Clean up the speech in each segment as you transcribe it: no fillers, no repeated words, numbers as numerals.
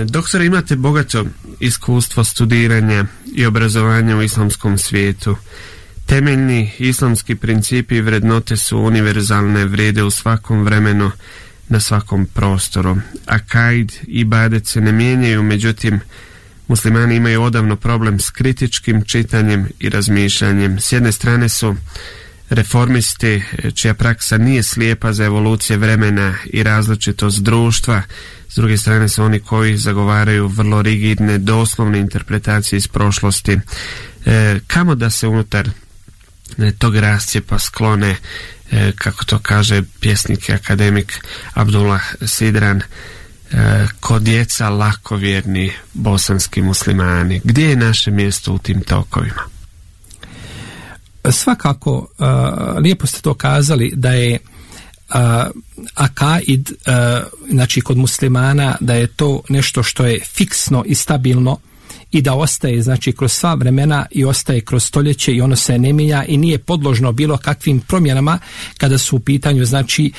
Doktore, imate bogato iskustvo studiranja i obrazovanja u islamskom svijetu. Temeljni islamski principi i vrednote su univerzalne, vrijede u svakom vremenu, na svakom prostoru. Akaid i ibadet se ne mijenjaju, međutim, muslimani imaju odavno problem s kritičkim čitanjem i razmišljanjem. S jedne strane su reformisti čija praksa nije slijepa za evolucije vremena i različitost društva, s druge strane su oni koji zagovaraju vrlo rigidne, doslovne interpretacije iz prošlosti. Kamo da se unutar tog rascijepa sklone, kako to kaže pjesnik i akademik Abdullah Sidran, ko djeca lakovjerni bosanski muslimani? Gdje je naše mjesto u tim tokovima? Svakako, lijepo ste to kazali da je akaid, znači kod muslimana, da je to nešto što je fiksno i stabilno i da ostaje, znači, kroz sva vremena i ostaje kroz stoljeće i ono se ne mijenja i nije podložno bilo kakvim promjenama kada su u pitanju, znači,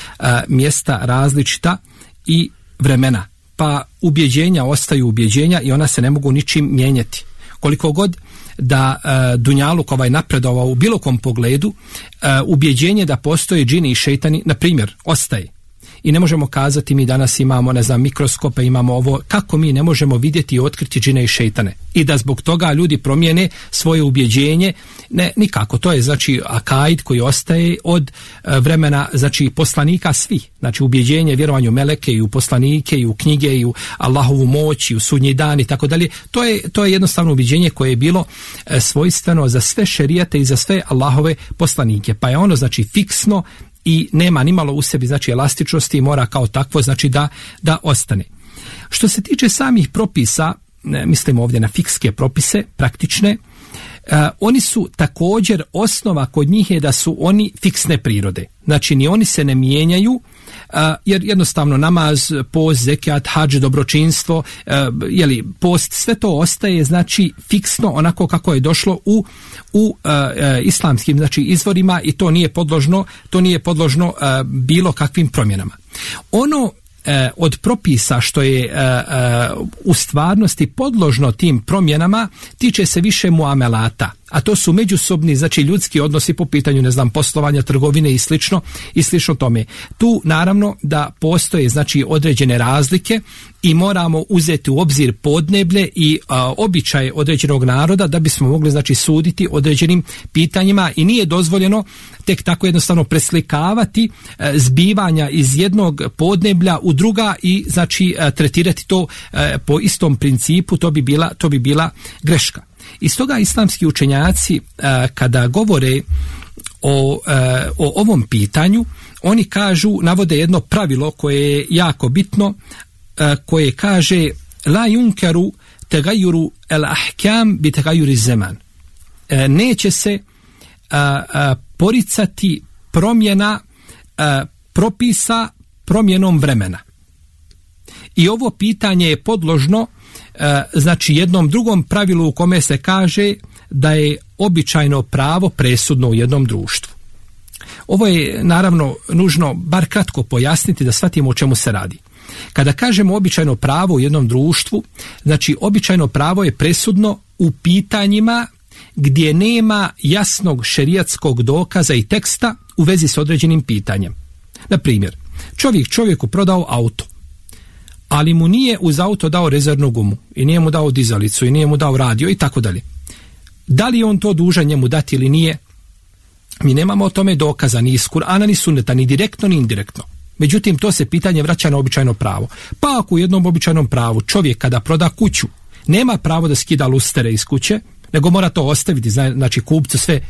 mjesta različita i vremena. Pa ubjeđenja ostaju ubjeđenja i ona se ne mogu ničim mijenjati. Koliko god da dunjaluk napredovao u bilo kom pogledu, ubjeđenje da postoje džini i šejtani, na primjer, ostaje. I ne možemo kazati mi danas imamo, ne znam, mikroskope, imamo ovo, kako mi ne možemo vidjeti i otkriti džine i šejtane. I da zbog toga ljudi promijene svoje ubjeđenje, ne, nikako. To je, znači, akaid koji ostaje od vremena, znači, poslanika svih. Znači, ubjeđenje, vjerovanje u meleke i u poslanike i u knjige i u Allahovu moć i u sudnji dan i tako dalje. To je jednostavno ubjeđenje koje je bilo svojstveno za sve šerijate i za sve Allahove poslanike. Pa je ono, znači, fiksno i nema nimalo u sebi, znači, elastičnosti i mora kao takvo, znači, da ostane. Što se tiče samih propisa, mislimo ovdje na fikske propise, praktične, oni su također, osnova kod njih je da su oni fiksne prirode. Znači, ni oni se ne mijenjaju, jer jednostavno namaz, post, zekat, hadž, dobročinstvo, post, sve to ostaje, znači, fiksno onako kako je došlo u islamskim, znači, izvorima i to nije podložno bilo kakvim promjenama. Ono od propisa što je u stvarnosti podložno tim promjenama tiče se više muamelata, a to su međusobni, znači, ljudski odnosi po pitanju, ne znam, poslovanja, trgovine i slično tome. Tu naravno da postoje, znači, određene razlike i moramo uzeti u obzir podneblje i običaje određenog naroda da bismo mogli, znači, suditi određenim pitanjima i nije dozvoljeno tek tako jednostavno preslikavati zbivanja iz jednog podneblja u druga i, znači, tretirati to po istom principu, to bi bila greška. I stoga islamski učenjaci kada govore o ovom pitanju, oni navode jedno pravilo koje je jako bitno, koje kaže la yunkaru tagayyuru al-ahkam bi tagayyuri zaman. Neće se poricati promjena propisa promjenom vremena. I ovo pitanje je podložno, znači, jednom drugom pravilu u kome se kaže da je običajno pravo presudno u jednom društvu. Ovo je naravno nužno bar kratko pojasniti da shvatimo o čemu se radi. Kada kažemo običajno pravo u jednom društvu, znači, običajno pravo je presudno u pitanjima gdje nema jasnog šerijatskog dokaza i teksta u vezi s određenim pitanjem. Na primjer, čovjeku prodao auto, ali mu nije uz auto dao rezervnu gumu i nije mu dao dizalicu i nije mu dao radio i tako dalje. Da li je on to dužan njemu dati ili nije? Mi nemamo o tome dokaza ni iz Kur'ana ni Sunneta, ni direktno ni indirektno. Međutim, to se pitanje vraća na običajno pravo. Pa ako u jednom običajnom pravu čovjek kada proda kuću nema pravo da skida lustere iz kuće, nego mora to ostaviti, znači, kupcu sve,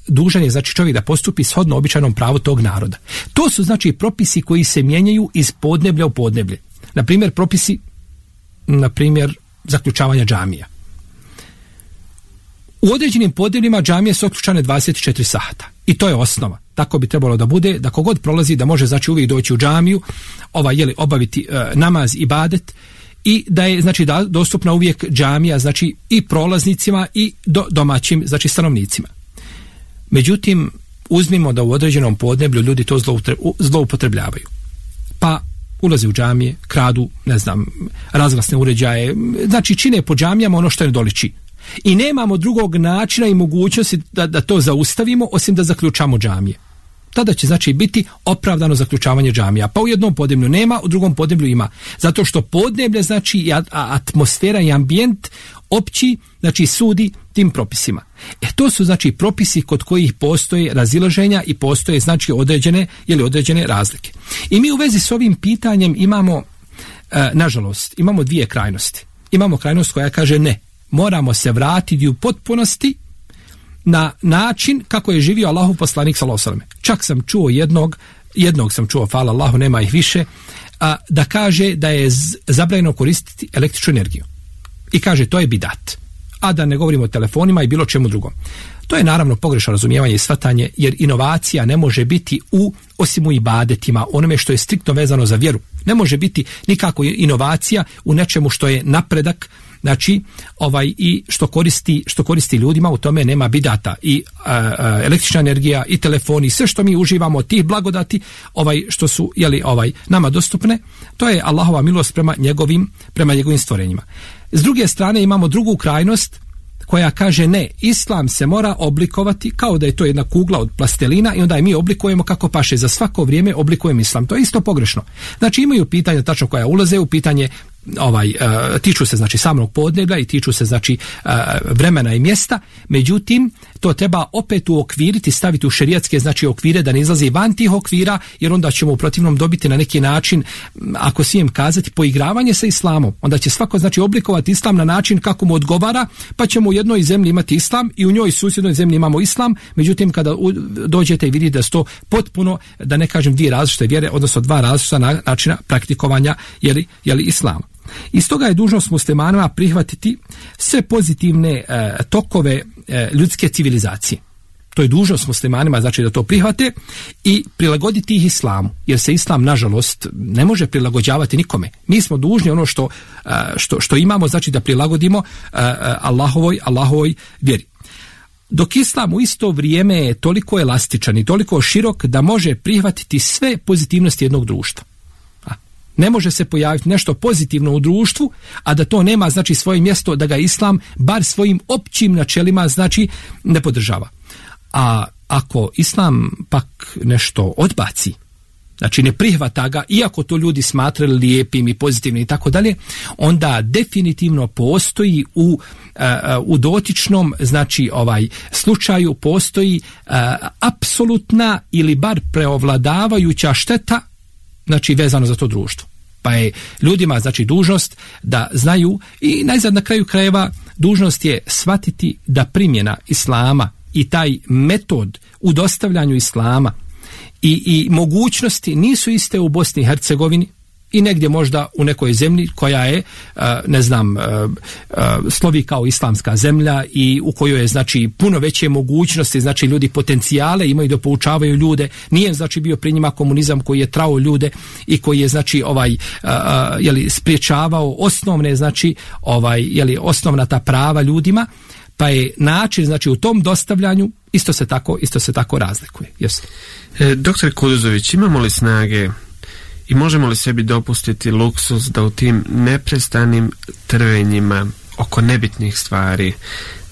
dužan je, znači, čovjek da postupi shodno običajnom pravu tog naroda. To su, znači, propisi koji se mijenjaju iz podneblja u podneblje. Na primjer, propisi, na primjer, zaključavanja džamija. U određenim podnebljima džamije su otključane 24 sata. I to je osnova. Tako bi trebalo da bude, da kogod prolazi da može, znači, uvijek doći u džamiju, obaviti namaz, ibadet, i da je, znači, dostupna uvijek džamija, znači, i prolaznicima i domaćim, znači, stanovnicima. Međutim, uzmimo da u određenom podneblju ljudi to zloupotrebljavaju. Pa ulaze u džamije, kradu, ne znam, razglasne uređaje, znači čine po džamijama ono što ne doliči. I nemamo drugog načina i mogućnosti da to zaustavimo osim da zaključamo džamije. Tada će znači biti opravdano zaključavanje džamija. Pa u jednom podneblju nema, u drugom podneblju ima. Zato što podneblje znači atmosfera i ambijent opći, znači sudi tim propisima. To su znači propisi kod kojih postoje razilaženja i postoje znači određene razlike. I mi u vezi s ovim pitanjem imamo, nažalost, imamo dvije krajnosti. Imamo krajnost koja kaže ne, moramo se vratiti u potpunosti na način kako je živio Allahov poslanik sallallahu alejhi ve sellem. Čak sam čuo jednog sam čuo, hvala Allahu, nema ih više, da kaže da je zabranjeno koristiti električnu energiju. I kaže to je bidat. A da ne govorimo o telefonima i bilo čemu drugom. To je naravno pogrešno razumijevanje i shvatanje, jer inovacija ne može biti osim u ibadetima, onome što je striktno vezano za vjeru. Ne može biti nikako inovacija u nečemu što je napredak, znači i što koristi ljudima, u tome nema bidata. I električna energija i telefoni, sve što mi uživamo od tih blagodati, što su nama dostupne, to je Allahova milost prema njegovim stvorenjima. S druge strane imamo drugu krajnost koja kaže ne, islam se mora oblikovati kao da je to jedna kugla od plastelina i onda je mi oblikujemo kako paše, za svako vrijeme oblikujemo islam. To je isto pogrešno. Znači imaju pitanja tačno koja ulaze u pitanje, tiču se znači samog podneblja i tiču se znači vremena i mjesta, međutim to treba opet uokviriti, staviti u šerijatske znači okvire, da ne izlazi van tih okvira, jer onda ćemo u protivnom dobiti na neki način, ako smijem kazati, poigravanje sa islamom. Onda će svako znači oblikovati islam na način kako mu odgovara, pa ćemo u jednoj zemlji imati islam i u njoj susjednoj zemlji imamo islam, međutim kada dođete i vidite da su to potpuno, da ne kažem dvije različite vjere, odnosno dva različita načina praktikovanja islama. I stoga je dužnost muslimanima prihvatiti sve pozitivne tokove ljudske civilizacije. To je dužnost muslimanima, znači da to prihvate i prilagoditi ih islamu, jer se islam nažalost ne može prilagođavati nikome. Mi smo dužni ono što imamo, znači da prilagodimo Allahovoj vjeri. Dok islam u isto vrijeme je toliko elastičan i toliko širok da može prihvatiti sve pozitivnosti jednog društva. Ne može se pojaviti nešto pozitivno u društvu, a da to nema znači svoje mjesto, da ga islam bar svojim općim načelima znači ne podržava. A ako islam pak nešto odbaci, znači ne prihvata ga, iako to ljudi smatrali lijepim i pozitivnim i tako dalje, onda definitivno postoji u dotičnom znači slučaju postoji apsolutna ili bar preovladavajuća šteta, znači vezano za to društvo. Pa je ljudima znači dužnost da znaju i najzad na kraju krajeva dužnost je shvatiti da primjena islama i taj metod u dostavljanju islama i mogućnosti nisu iste u Bosni i Hercegovini i negdje možda u nekoj zemlji koja je, slovi kao islamska zemlja i u kojoj je znači puno veće mogućnosti, znači ljudi potencijale imaju da poučavaju ljude. Nije znači bio pri njima komunizam koji je trao ljude i koji je znači spriječavao osnovne znači osnovna ta prava ljudima, pa je način znači u tom dostavljanju isto se tako razlikuje. Yes. Doktor Kuduzović, imamo li snage i možemo li sebi dopustiti luksuz da u tim neprestanim trvenjima oko nebitnih stvari,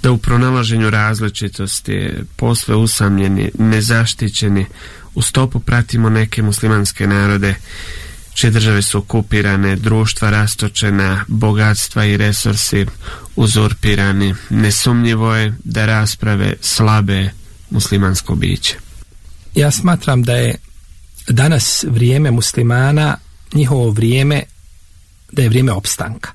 da u pronalaženju različitosti, posve usamljeni, nezaštićeni, u stopu pratimo neke muslimanske narode čije države su okupirane, društva rastočena, bogatstva i resursi uzurpirani? Nesumnjivo je da rasprave slabe muslimansko biće. Ja smatram da je danas vrijeme muslimana, njihovo vrijeme, da je vrijeme opstanka.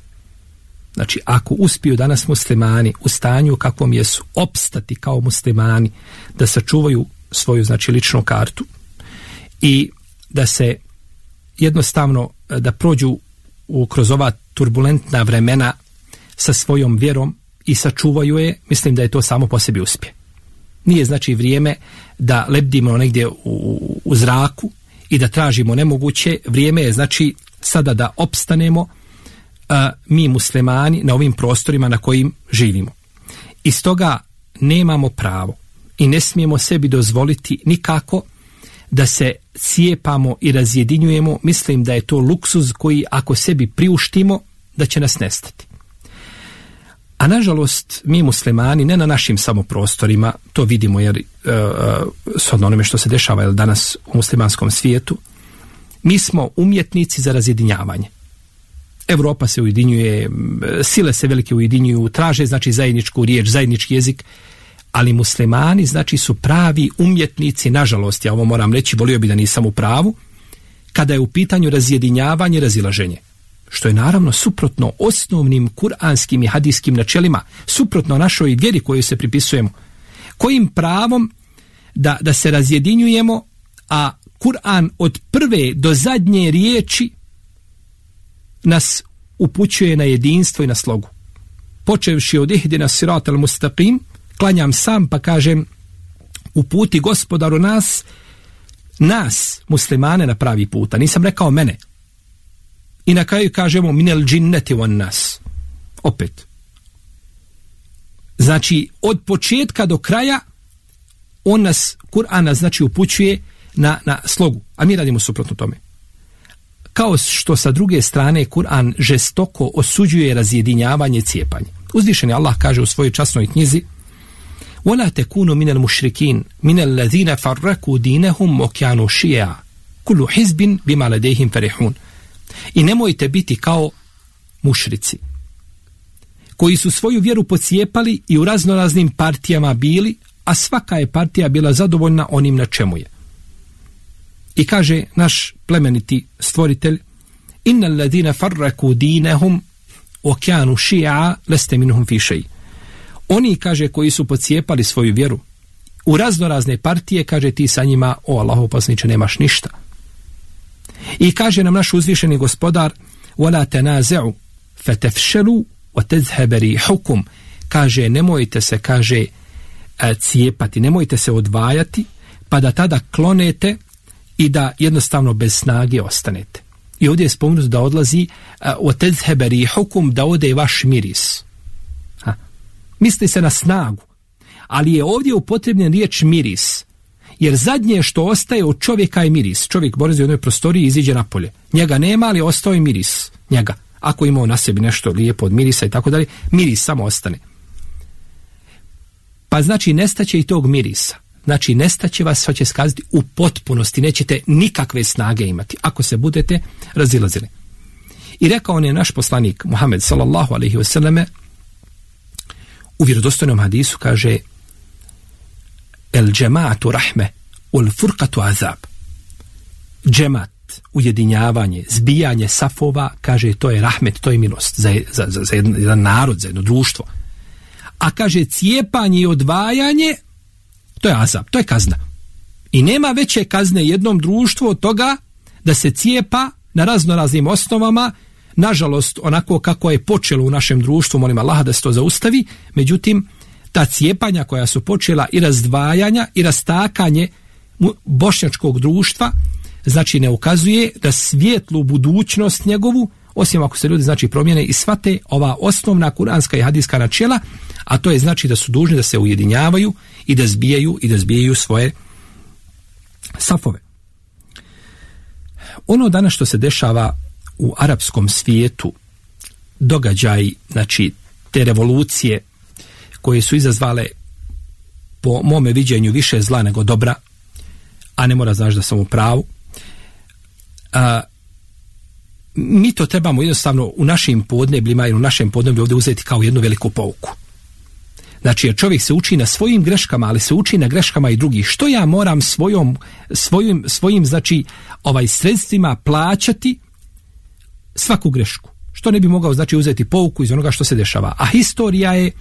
Znači, ako uspiju danas muslimani u stanju kakvom jesu opstati kao muslimani, da sačuvaju svoju znači ličnu kartu i da se jednostavno da prođu kroz ova turbulentna vremena sa svojom vjerom i sačuvaju je, mislim da je to samo po sebi uspjeh. Nije znači vrijeme da lebdimo negdje u zraku i da tražimo nemoguće. Vrijeme je znači sada da opstanemo mi muslimani na ovim prostorima na kojim živimo. I stoga nemamo pravo i ne smijemo sebi dozvoliti nikako da se cijepamo i razjedinjujemo, mislim da je to luksuz koji ako sebi priuštimo, da će nas nestati. A nažalost, mi muslimani, ne na našim samo prostorima, to vidimo jer s onome što se dešava danas u muslimanskom svijetu, mi smo umjetnici za razjedinjavanje. Evropa se ujedinjuje, sile se velike ujedinjuju, traže znači zajedničku riječ, zajednički jezik, ali muslimani znači su pravi umjetnici, nažalost, ja ovo moram reći, volio bi da nisam u pravu, kada je u pitanju razjedinjavanje, razilaženje. Što je naravno suprotno osnovnim kuranskim i hadijskim načelima, suprotno našoj vjeri koju se pripisujemo. Kojim pravom da se razjedinjujemo, a Kur'an od prve do zadnje riječi nas upućuje na jedinstvo i na slogu. Počevši od ihdina siratal mustaqim, klanjam sam pa kažem uputi Gospodaru nas muslimane na pravi put, a nisam rekao mene. I na kraju kažemo minel džinneti wan nas. Opet. Znači od početka do kraja on nas, Kur'an nas znači upućuje na slogu, a mi radimo suprotno tome. Kao što sa druge strane Kur'an žestoko osuđuje razjedinjavanje, cijepanje. Uzvišeni Allah kaže u svojoj časnoj knjizi وَلَا تَكُونُوا مِنَ الْمُشْرِكِينَ مِنَ الَّذِينَ فَرَّقُوا دِينَهُمْ وَكَانُوا شِيَعًا كُلُّ حِزْبٍ بِمَا لَدَيْهِمْ فَرِحُونَ. I nemojte biti kao mušrici, koji su svoju vjeru pocijepali i u raznoraznim partijama bili, a svaka je partija bila zadovoljna onim na čemu je. I kaže naš plemeniti stvoritelj Inna alladhina farraku dinahum wa kanu shi'a lasta minhum fi shay. Oni, kaže, koji su pocijepali svoju vjeru u raznorazne partije, kaže ti sa njima, o Allahov poslaniče, nemaš ništa. I kaže nam naš uzvišeni gospodar wala tanazu fatafshalu wa tadhhab rihukum. Kaže nemojte se, kaže, cijepati, nemojte se odvajati, pa da tada klonete i da jednostavno bez snage ostanete. I ovdje je spomenuto da odlazi وَتَذْهَبَ رِيحُكُمْ, da ode vaš miris. Misli se na snagu, ali je ovdje upotrebljen riječ miris, jer zadnje što ostaje od čovjeka je miris. Čovjek borazi u jednoj prostoriji i iziđe napolje. Njega nema, ali ostao je miris njega. Ako imao na sebi nešto lijepo od mirisa i tako dalje, miris samo ostane. Pa znači nestaće i tog mirisa. Znači nestaće vas, hoće skazati u potpunosti, nećete nikakve snage imati ako se budete razilazili. I rekao on je naš poslanik Muhammed sallallahu alejhi ve selleme u vjerodostojnom hadisu, kaže el džemaatu rahme ul furqatu azab. Džemat, ujedinjavanje, zbijanje safova, kaže to je rahmet, to je milost za jedan narod, za jedno društvo. A kaže cijepanje i odvajanje, to je azab, to je kazna. I nema veće kazne jednom društvu od toga da se cijepa na raznoraznim osnovama, nažalost onako kako je počelo u našem društvu, molim Allaha da se to zaustavi, međutim ta cijepanja koja su počela i razdvajanja i rastakanje bošnjačkog društva, znači ne ukazuje da svijetlu budućnost njegovu, osim ako se ljudi znači promijene i shvate ova osnovna kuranska i hadijska načela, a to je znači da su dužni da se ujedinjavaju i da zbijaju svoje safove. Ono danas što se dešava u arapskom svijetu, događaj, znači te revolucije koje su izazvale po mome viđenju više zla nego dobra, a ne mora znaš da sam u pravu, mi to trebamo jednostavno u našim podnebljima i u našem podneblju ovdje uzeti kao jednu veliku pouku. Znači, jer čovjek se uči na svojim greškama, ali se uči na greškama i drugih. Što ja moram svojim znači, sredstvima plaćati svaku grešku? Što ne bi mogao, znači, uzeti pouku iz onoga što se dešava? A historija je,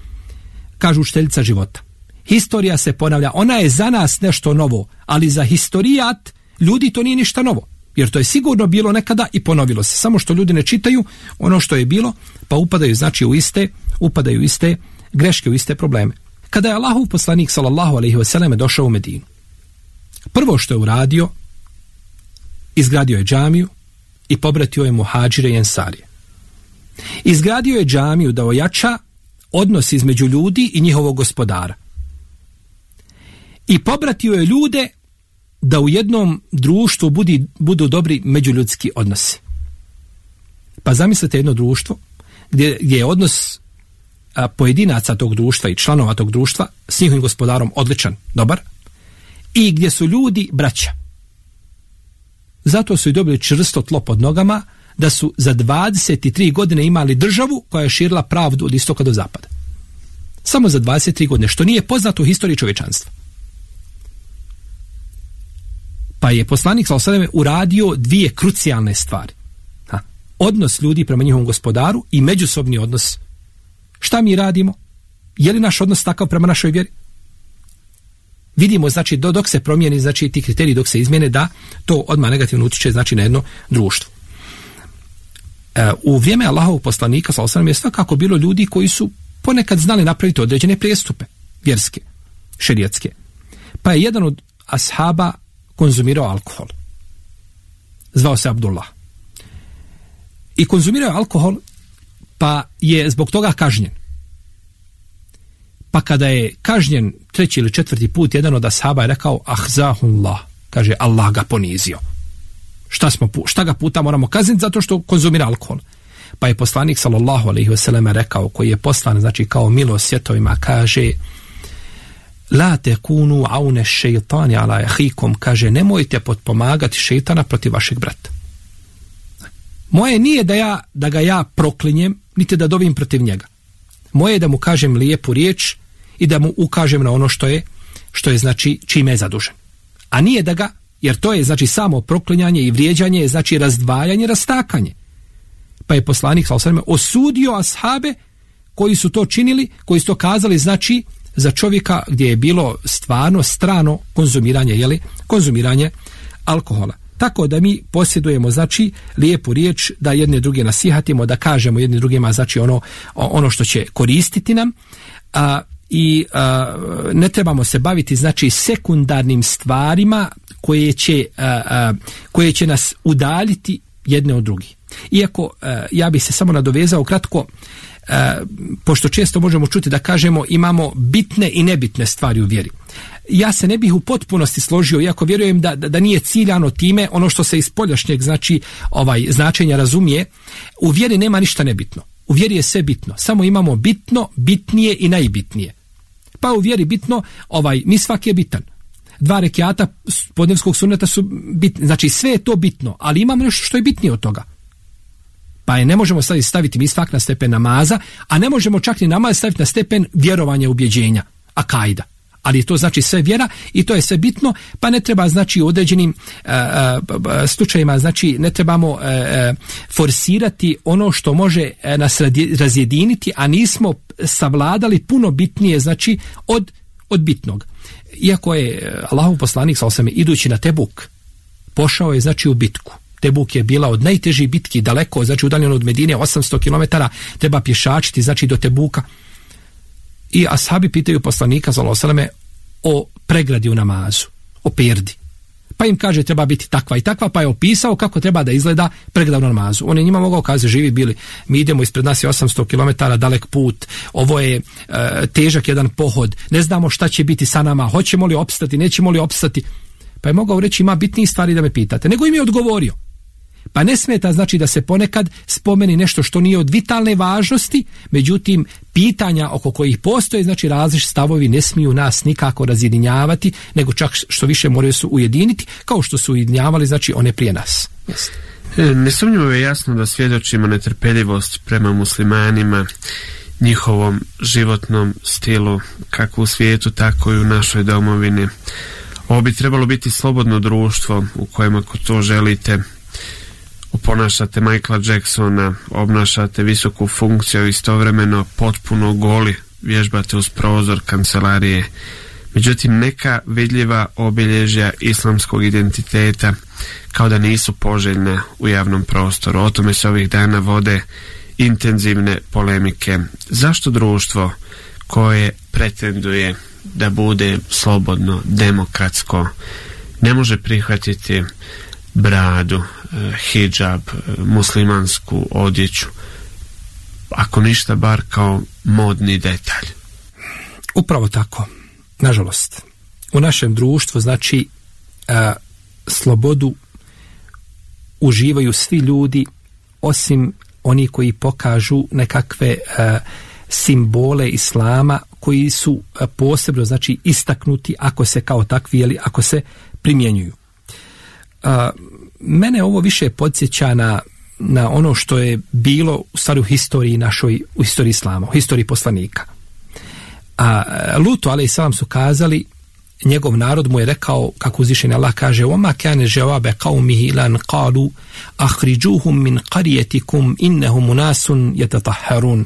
kažu učiteljica života. Historija se ponavlja. Ona je za nas nešto novo, ali za historijat ljudi to nije ništa novo. Jer to je sigurno bilo nekada i ponovilo se. Samo što ljudi ne čitaju ono što je bilo, pa upadaju, znači, upadaju iste greške, u iste probleme. Kada je Allahov poslanik sallallahu alejhi ve selleme došao u Medinu, prvo što je uradio, izgradio je džamiju i pobratio je muhadžire i ensarije. Izgradio je džamiju da ojača odnos između ljudi i njihovog gospodara. I pobratio je ljude da u jednom društvu budu dobri međuljudski odnosi. Pa zamislite jedno društvo gdje je odnos pojedinaca tog društva i članova tog društva s njihovim gospodarom odličan, dobar, i gdje su ljudi braća. Zato su i dobili čvrsto tlo pod nogama, da su za 23 godine imali državu koja je širila pravdu od istoka do zapada. Samo za 23 godine, što nije poznato u historiji čovječanstva. Pa je poslanik sallallahu alejhi ve sellem uradio dvije krucijalne stvari. Odnos ljudi prema njihovom gospodaru i međusobni odnos. Šta mi radimo? Je li naš odnos takav prema našoj vjeri? Vidimo, znači, dok se promijeni, znači, ti kriteriji dok se izmjene, da to odmah negativno utiče, znači, na jedno društvo. U vrijeme Allahovog poslanika, sallallahu alejhi ve sellem, je svakako bilo ljudi koji su ponekad znali napraviti određene prijestupe, vjerske, šerijatske. Pa je jedan od ashaba konzumirao alkohol. Zvao se Abdullah. I konzumirao alkohol, pa je zbog toga kažnjen. Pa kada je kažnjen 3. ili 4. put, jedan od ashaba je rekao ahzahullah, kaže Allah ga ponizio. Šta ga puta moramo kazniti? Zato što konzumira alkohol. Pa je poslanik sallallahu alejhi ve sellem rekao, koji je poslan, znači, kao milost svjetovima, kaže la tekunu aune šeitani ala ahikum, kaže nemojte potpomagati šeitana protiv vašeg brata. Moje nije da ga ja proklinjem, niti da dovim protiv njega. Moje je da mu kažem lijepu riječ i da mu ukažem na ono što je znači čime je zadužen. A nije da ga, jer to je znači samo proklinjanje i vrijeđanje, je znači razdvajanje, rastakanje. Pa je poslanik sallallahu alejhi ve sellem osudio ashabe koji su to činili, koji su to kazali, znači za čovjeka gdje je bilo stvarno strano konzumiranje alkohola. Tako da mi posjedujemo, znači, lijepu riječ, da jedne druge nasihatimo, da kažemo jedne drugima, znači, ono što će koristiti nam, i ne trebamo se baviti, znači, sekundarnim stvarima koje će nas udaljiti jedne od drugih. Iako, ja bih se samo nadovezao kratko, pošto često možemo čuti da kažemo imamo bitne i nebitne stvari u vjeri. Ja se ne bih u potpunosti složio, iako vjerujem da nije ciljano time ono što se iz spoljašnjeg, znači, značenja razumije. U vjeri nema ništa nebitno. U vjeri je sve bitno. Samo imamo bitno, bitnije i najbitnije. Pa u vjeri bitno, misvak je bitan. 2 rekjata podnevskog sunneta su bitni. Znači sve je to bitno, ali imamo nešto što je bitnije od toga. Pa ne možemo staviti misvak na stepen namaza, a ne možemo čak ni namaz staviti na stepen vjerovanja, ubjeđenja, akajda. Ali to znači sve vjera i to je sve bitno, pa ne treba, znači, u određenim slučajima, znači, ne trebamo forsirati ono što može nas razjediniti, a nismo savladali puno bitnije, znači, od bitnog. Iako je Allahov poslanik sallallahu alejhi ve sellem idući na Tebuk pošao je, znači, u bitku. Tebuk je bila od najtežih bitki, daleko, znači udaljeno od Medine 800 km, treba pješačiti, znači, do Tebuka. I ashabi pitaju poslanika sallallahu alejhi ve selleme o pregradi u namazu, o perdi. Pa im kaže treba biti takva i takva, pa je opisao kako treba da izgleda pregrada u namazu. On je njima mogao kazati, živi bili, mi idemo, ispred nas je 800 km dalek put, ovo je težak jedan pohod, ne znamo šta će biti sa nama, hoćemo li opstati, nećemo li opstati. Pa je mogao reći, ima bitnije stvari da me pitate. Nego im je odgovorio. Pa ne smeta, znači, da se ponekad spomeni nešto što nije od vitalne važnosti, međutim pitanja oko kojih postoje, znači, različiti stavovi ne smiju nas nikako razjedinjavati, nego čak što više moraju su ujediniti, kao što su ujedinjavali, znači, one prije nas. Nesumnjivo je jasno da svjedočimo netrpeljivost prema muslimanima, njihovom životnom stilu, kako u svijetu, tako i u našoj domovini. Ovo bi trebalo biti slobodno društvo u kojem, ako to želite, oponašate Michaela Jacksona, obnašate visoku funkciju, istovremeno potpuno goli, vježbate uz prozor kancelarije. Međutim, neka vidljiva obilježja islamskog identiteta kao da nisu poželjna u javnom prostoru. O tome se ovih dana vode intenzivne polemike. Zašto društvo koje pretenduje da bude slobodno, demokratsko, ne može prihvatiti bradu, hidžab, muslimansku odjeću, ako ništa bar kao modni detalj? Upravo tako. Nažalost, u našem društvu, znači, slobodu uživaju svi ljudi osim oni koji pokažu nekakve simbole islama koji su posebno znači istaknuti ako se kao takvi ili ako se primjenjuju. Mene ovo više podsjeća na ono što je bilo u stvari u historiji našoj, u historiji islama, u historiji poslanika. Lutu alejselam su kazali, njegov narod mu je rekao, kako uzvišeni Allah kaže: "Wa ma kana jawabe qaumihi lan qalu akhrijuhum min qaryatikum innahum unasun yatatahharun."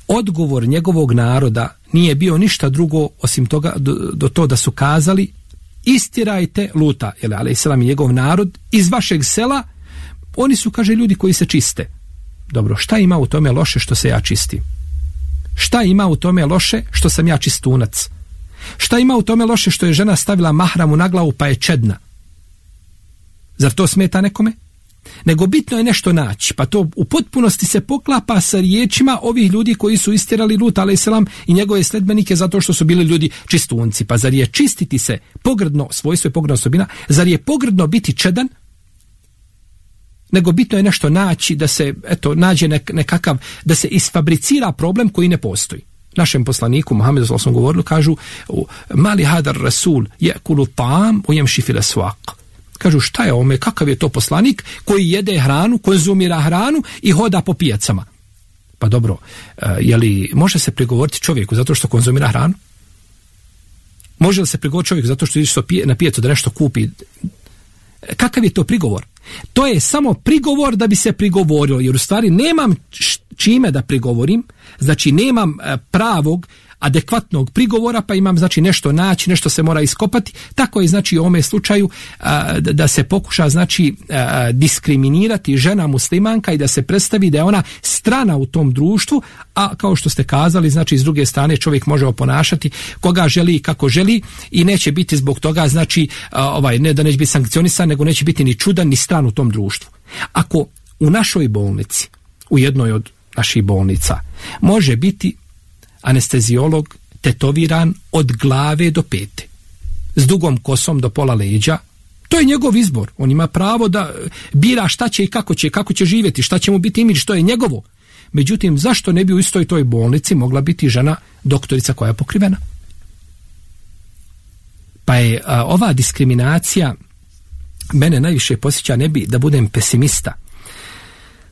Odgovor njegovog naroda nije bio ništa drugo osim toga do to da su kazali: "Istirajte Luta alejselam i njegov narod iz vašeg sela, oni su, kaže, ljudi koji se čiste." Dobro, šta ima u tome loše što se ja čistim? Šta ima u tome loše što sam ja čistunac? Šta ima u tome loše što je žena stavila mahramu na glavu pa je čedna? Zar to smeta nekome? Nego bitno je nešto naći, pa to u potpunosti se poklapa sa riječima ovih ljudi koji su istirali Luta alejselam i njegove sledbenike zato što su bili ljudi čistunci. Pa zar je čistiti se pogrdno, svojstvo je pogrdna osobina, zar je pogrdno biti čedan? Nego bitno je nešto naći da se nađe nekakav, da se isfabricira problem koji ne postoji. Našem poslaniku Muhammedu sallallahu alejhi ve sellem govorili, kažu: "Mali hadar rasul ya'kulu ta'am wa yamshi fil aswaq." Kažu, šta je ome, kakav je to poslanik koji jede hranu, konzumira hranu i hoda po pijacama? Pa dobro, je li može se prigovoriti čovjeku zato što konzumira hranu? Može li se prigovoriti čovjeku zato što ide na pijacu da nešto kupi? Kakav je to prigovor? To je samo prigovor da bi se prigovorilo, jer u stvari nemam čime da prigovorim, znači nemam pravog, adekvatnog prigovora, pa imam znači nešto naći, nešto se mora iskopati. Tako je znači u ovome slučaju da se pokuša znači diskriminirati žena muslimanka i da se predstavi da je ona strana u tom društvu, a kao što ste kazali, znači s druge strane čovjek može oponašati koga želi i kako želi i neće biti zbog toga znači ne da neće biti sankcionisan, nego neće biti ni čudan ni stran u tom društvu. Ako u našoj bolnici, u jednoj od naših bolnica, može biti anesteziolog tetoviran od glave do pete, s dugom kosom do pola leđa, to je njegov izbor. On ima pravo da bira šta će i kako će živjeti, šta će mu biti imidž, to je njegovo. Međutim, zašto ne bi u istoj toj bolnici mogla biti žena doktorica koja je pokrivena? Pa je ova diskriminacija mene najviše posjeća, ne bi da budem pesimista.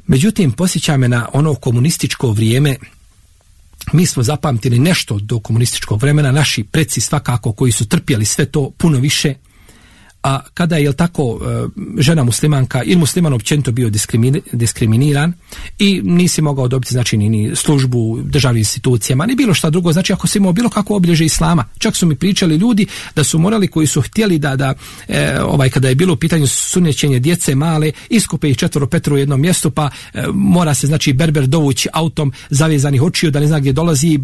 Međutim, posjeća me na ono komunističko vrijeme. Mi smo zapamtili nešto do komunističkog vremena, naši preci svakako koji su trpjeli sve to puno više, a kada je tako žena muslimanka ili musliman općenito bio diskriminiran i nisi mogao dobiti znači ni službu državnim institucijama, ni bilo šta drugo, znači ako si imao bilo kako obilježje islama. Čak su mi pričali ljudi da su morali, koji su htjeli da kada je bilo u pitanju sunnećenje djece male, iskupe ih 4-5 u jednom mjestu, pa mora se znači berber dovući autom zavezanih očiju da ne zna gdje dolazi,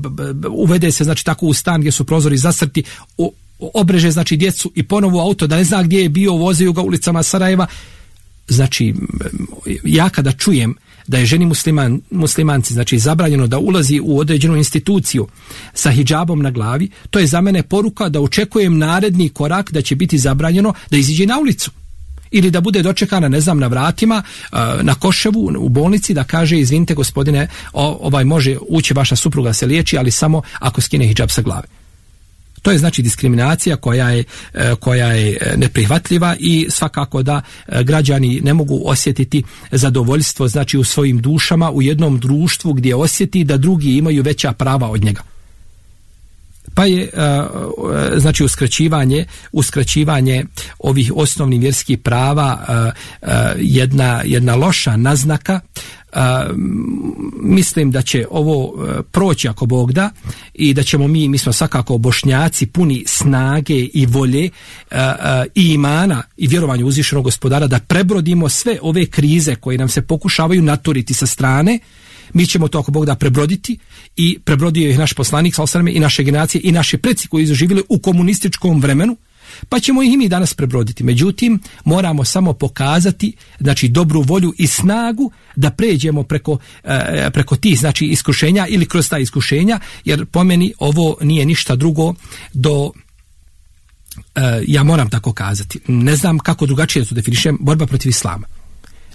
uvede se znači tako u stan gdje su prozori zasrti, obreže znači djecu i ponovo auto da ne zna gdje je bio, vozio ga ulicama Sarajeva. Znači ja kada čujem da je ženi muslimanci znači zabranjeno da ulazi u određenu instituciju sa hidžabom na glavi, to je za mene poruka da očekujem naredni korak da će biti zabranjeno da iziđe na ulicu ili da bude dočekana, ne znam, na vratima na Koševu u bolnici da kaže: "Izvinite gospodine, može ući vaša supruga se liječi, ali samo ako skine hidžab sa glave." To je znači diskriminacija koja je neprihvatljiva i svakako da građani ne mogu osjetiti zadovoljstvo znači u svojim dušama u jednom društvu gdje osjeti da drugi imaju veća prava od njega. Pa je znači uskraćivanje ovih osnovnih vjerskih prava jedna loša naznaka. Mislim da će ovo proći ako Bog da i da ćemo mi smo svakako Bošnjaci puni snage i volje i imana i vjerovanja uzvišenog Gospodara da prebrodimo sve ove krize koje nam se pokušavaju naturiti sa strane. Mi ćemo to ako Bog da prebroditi i prebrodio ih naš poslanik sallallahu alejhi ve sellem i naše generacije i naši preci koji su živjeli u komunističkom vremenu, pa ćemo ih i mi danas prebroditi. Međutim, moramo samo pokazati znači dobru volju i snagu da pređemo preko tih znači iskušenja ili kroz ta iskušenja, jer po meni ovo nije ništa drugo do ja moram tako kazati, ne znam kako drugačije da to definišem, borba protiv islama.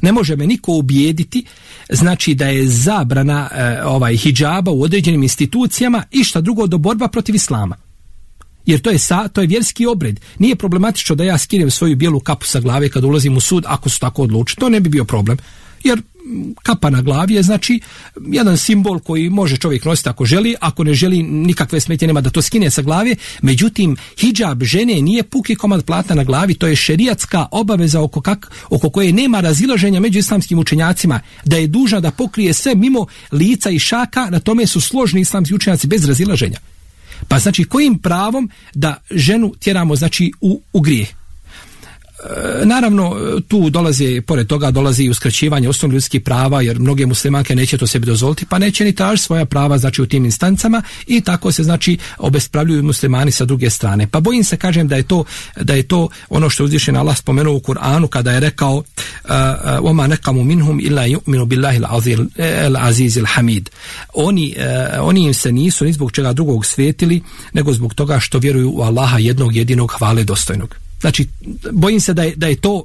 Ne može me niko ubijediti, znači da je zabrana hidžaba u određenim institucijama i šta drugo do borba protiv islama. Jer to je vjerski obred. Nije problematično da ja skinem svoju bijelu kapu sa glave kad ulazim u sud, ako su tako odlučili. To ne bi bio problem. Jer kapa na glavi je znači jedan simbol koji može čovjek nositi ako želi, ako ne želi nikakve smetnje nema da to skine sa glave. Međutim, hidžab žene nije puki komad platna na glavi, to je šerijatska obaveza oko koje nema razilaženja među islamskim učenjacima, da je dužna da pokrije sve mimo lica i šaka, na tome su složni islamski učenjaci bez razilaženja. Pa znači kojim pravom da ženu tjeramo znači u grijeh? Naravno, tu pored toga dolazi i uskraćivanje osnovnih ljudskih prava, jer mnoge muslimanke neće to sebi dozvoliti, pa neće ni tražiti svoja prava znači u tim instancama i tako se znači obespravljuju muslimani sa druge strane. Pa bojim se, kažem, da je to ono što uzvišeni Allah spomenuo u Kur'anu kada je rekao وَمَا نَكَمُ مِنْهُمْ إِلَّا يُؤْمِنُ بِاللَّهِ الْعَزِيزِ الْحَمِيدِ. Oni im se nisu ni zbog čega drugog svetili, nego zbog toga što vjeruju u Allaha jednog jedinog hvale dostojnog. Znači, bojim se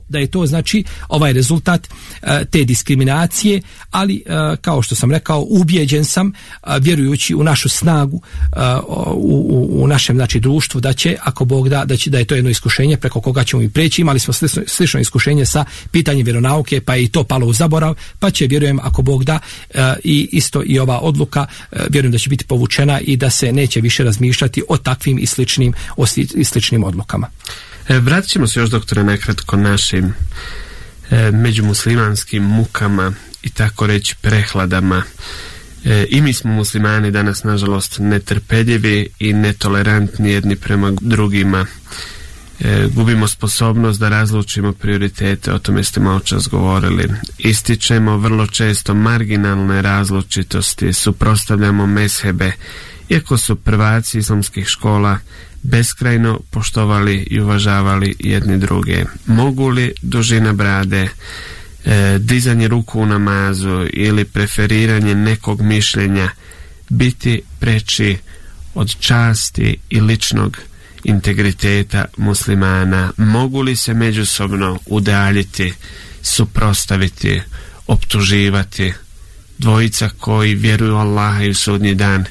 da je to znači ovaj rezultat te diskriminacije, ali kao što sam rekao, ubijeđen sam, vjerujući u našu snagu u našem znači društvu, da će, ako Bog da je to jedno iskušenje preko koga ćemo i preći. Imali smo slično iskušenje sa pitanjem vjeronauke, pa je i to palo u zaborav, pa će, vjerujem, ako Bog da, i isto i ova odluka, vjerujem da će biti povučena i da se neće više razmišljati o takvim i sličnim odlukama. Vratit ćemo se još, doktore, nekratko našim međumuslimanskim mukama i tako reći prehladama. I mi smo muslimani danas, nažalost, netrpeljivi i netolerantni jedni prema drugima. Gubimo sposobnost da razlučimo prioritete, o tome ste malo čas govorili. Ističemo vrlo često marginalne različitosti, suprotstavljamo mezhebe, iako su prvaci islamskih škola beskrajno poštovali i uvažavali jedni druge. Mogu li dužina brade, dizanje ruku u namazu ili preferiranje nekog mišljenja biti preči od časti i ličnog integriteta muslimana? Mogu li se međusobno udaljiti, suprotstaviti, optuživati dvojica koji vjeruju Allaha i u sudnji dan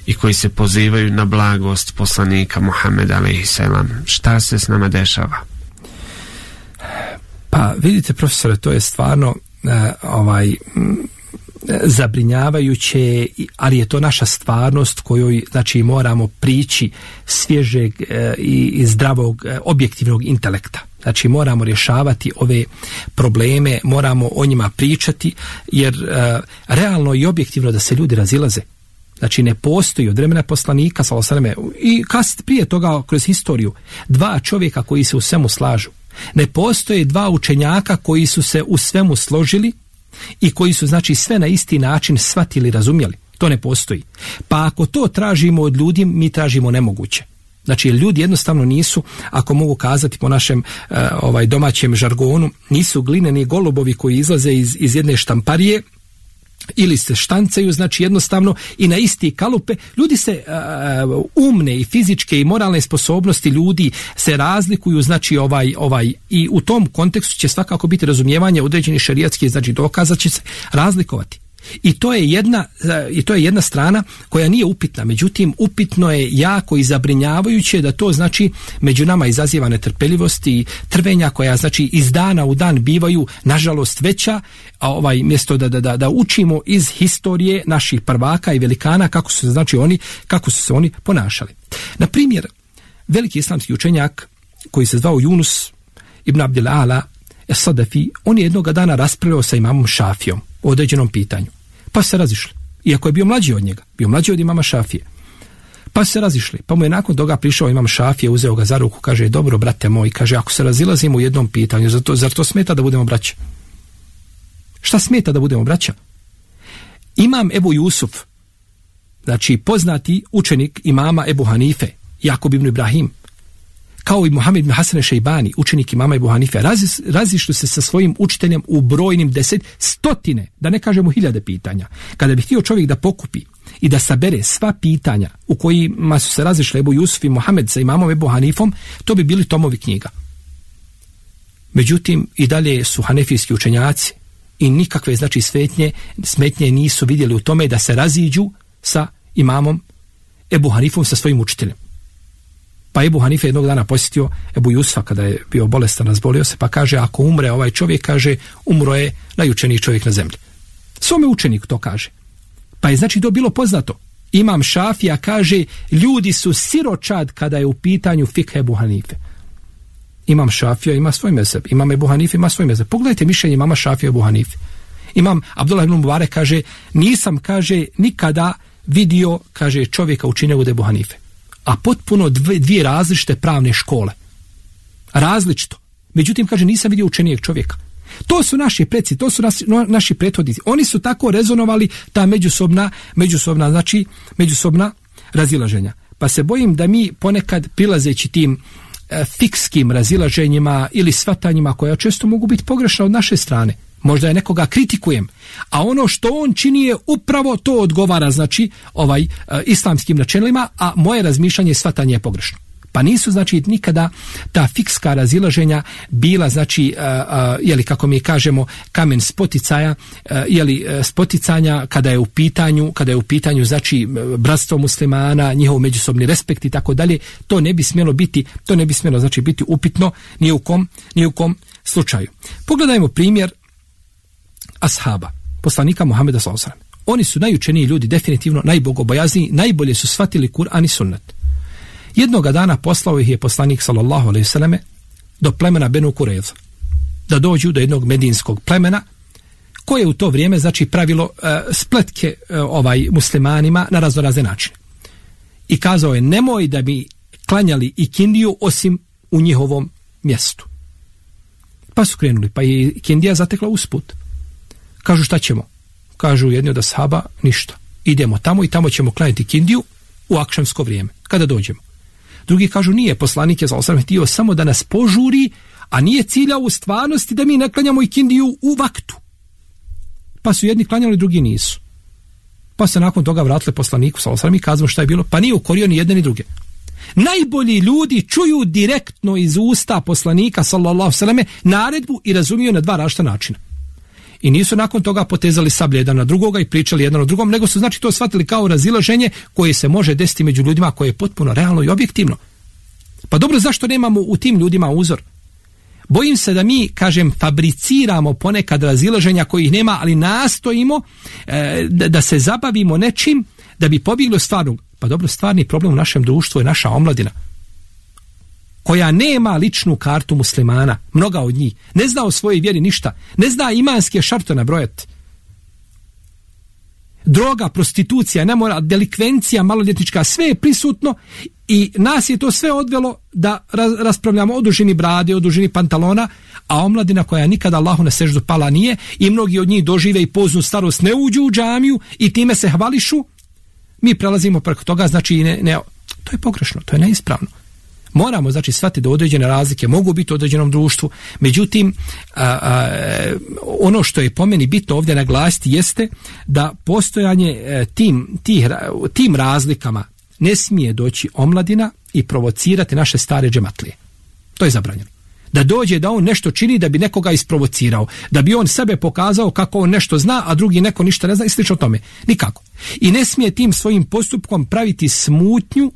i koji se pozivaju na blagost poslanika Muhameda alejhiselam? Šta se s nama dešava? Pa vidite, profesore, to je stvarno zabrinjavajuće, ali je to naša stvarnost kojoj znači moramo prići svježeg i zdravog objektivnog intelekta. Znači moramo rješavati ove probleme, moramo o njima pričati, jer realno i objektivno da se ljudi razilaze. Znači ne postoji od vremena poslanika i prije toga kroz historiju dva čovjeka koji se u svemu slažu. Ne postoje dva učenjaka koji su se u svemu složili i koji su znači sve na isti način shvatili, razumjeli. To ne postoji. Pa ako to tražimo od ljudi, mi tražimo nemoguće. Znači ljudi jednostavno nisu, ako mogu kazati po našem domaćem žargonu, nisu glineni golubovi koji izlaze iz jedne štamparije ili se štancaju, znači jednostavno i na isti kalupe. Ljudi se umne i fizičke i moralne sposobnosti ljudi se razlikuju, znači i u tom kontekstu će svakako biti razumijevanje određenih šerijatskih znači dokaza će se razlikovati. I to je jedna strana koja nije upitna. Međutim, upitno je jako i zabrinjavajuće da to znači među nama izaziva netrpeljivost i trvenja koja znači iz dana u dan bivaju nažalost veća, a mjesto da učimo iz historije naših prvaka i velikana kako su se oni ponašali. Na primjer, veliki islamski učenjak koji se zvao Yunus ibn Abdil Ala Es-Sadafi, on je jednoga dana raspravljao sa imamom Šafijom o određenom pitanju. Pa se razišli. Iako je bio mlađi od njega, bio mlađi od imama Šafije. Pa se razišli. Pa mu je nakon toga prišao imam Šafije, uzeo ga za ruku, kaže: dobro, brate moj, kaže, ako se razilazimo u jednom pitanju, zar to smeta da budemo braća? Šta smeta da budemo braća? Imam Ebu Jusuf, znači poznati učenik imama Ebu Hanife, Jakub ibn Ibrahim, kao i Muhammed ibn Hasan Šejbani, učenik imama Ebu Hanife, razišli se sa svojim učiteljem u brojnim stotine, da ne kažemo hiljade pitanja. Kada bi htio čovjek da pokupi i da sabere sva pitanja u kojima su se razišli Ebu Jusuf i Muhammed sa imamom Ebu Hanifom, to bi bili tomovi knjiga. Međutim, i dalje su hanefijski učenjaci i nikakve znači smetnje nisu vidjeli u tome da se raziđu sa imamom Ebu Hanifom, sa svojim učiteljem. Pa Ebu Hanife jednog dana posjetio Ebu Jusufa kada je bio bolestan, razbolio se, pa kaže, ako umre ovaj čovjek, kaže, umro je najučeniji čovjek na zemlji. Svome učeniku to kaže. Pa je znači to bilo poznato. Imam Šafija kaže, ljudi su siročad kada je u pitanju fikh Ebu Hanife. Imam Šafija ima svoj mezheb, imam Ebu Hanife ima svoj mezheb. Pogledajte mišljenje imama Šafija Ebu Hanife. Imam Abdullah ibn Mubarek kaže, nisam, kaže, nikada vidio, kaže, čovjeka učinio od Ebu Hanife. A potpuno dvije različite pravne škole. Različito. Međutim, kaže, nisam vidio učenijeg čovjeka. To su naši preci, to su naši prethodnici. Oni su tako rezonovali ta međusobna razilaženja. Pa se bojim da mi ponekad prilazeći tim fikskim razilaženjima ili shvatanjima koja često mogu biti pogrešna od naše strane. Možda je nekoga kritikujem, a ono što on čini je upravo to odgovara, znači, islamskim načelima, a moje razmišljanje i shvatanje je pogrešno. Pa nisu, znači, nikada ta fikska razilaženja bila, znači, kako mi kažemo, kamen spoticaja, spoticanja kada je u pitanju, znači, bratstvo muslimana, njihov međusobni respekt i tako dalje, to ne bi smjelo, znači, biti upitno ni u kom slučaju. Pogledajmo primjer ashaba, poslanika Muhameda s.a.v. Oni su najučeniji ljudi, definitivno najbogobojazniji, najbolje su shvatili Kur'an i sunnet. Jednoga dana poslao ih je poslanik s.a.v. do plemena Benu Kureza, da dođu do jednog medinskog plemena koje je u to vrijeme, znači, pravilo spletke muslimanima na raznorazne načine. I kazao je, nemoj da bi klanjali ikindiju osim u njihovom mjestu. Pa su krenuli, pa je ikindija zatekla usput. Kažu, šta ćemo? Kažu jedni od ashaba, ništa. Idemo tamo i tamo ćemo klanjati kindiju u akšamsko vrijeme, kada dođemo. Drugi kažu, nije, poslanik je s.a.v. htio samo da nas požuri, a nije ciljao u stvarnosti da mi ne klanjamo ikindiju u vaktu. Pa su jedni klanjali, drugi nisu. Pa se nakon toga vratili poslaniku s.a.v. i kazao šta je bilo, pa nije ukorio ni jedne ni druge. Najbolji ljudi čuju direktno iz usta poslanika s.a.v. naredbu i razumiju na dva različita načina. I nisu nakon toga potezali sablje jedan na drugoga i pričali jedan o drugom, nego su, znači, to shvatili kao razilaženje koje se može desiti među ljudima, koje je potpuno realno i objektivno. Pa dobro, zašto nemamo u tim ljudima uzor? Bojim se da mi, kažem, fabriciramo ponekad razilaženja kojih nema, ali nastojimo da se zabavimo nečim da bi pobjeglo stvarno. Pa dobro, stvarni problem u našem društvu je naša omladina, koja nema ličnu kartu muslimana, mnoga od njih, ne zna o svojoj vjeri ništa, ne zna imanske šartove nabrojati. Droga, prostitucija, nemoral, delikvencija maloljetnička, sve je prisutno i nas je to sve odvelo da raspravljamo o dužini brade, o dužini pantalona, a omladina koja nikada Allahu na seždu pala nije i mnogi od njih dožive i poznu starost, ne uđu u džamiju i time se hvališu, mi prelazimo preko toga, znači to je pogrešno, to je neispravno. Moramo, znači, shvatiti da određene razlike mogu biti u određenom društvu, međutim, ono što je po meni bitno ovdje naglasiti jeste da postojanje tim razlikama ne smije doći omladina i provocirati naše stare džematlije. To je zabranjeno. Da dođe da on nešto čini da bi nekoga isprovocirao, da bi on sebe pokazao kako on nešto zna, a drugi neko ništa ne zna i slično tome. Nikako. I ne smije tim svojim postupkom praviti smutnju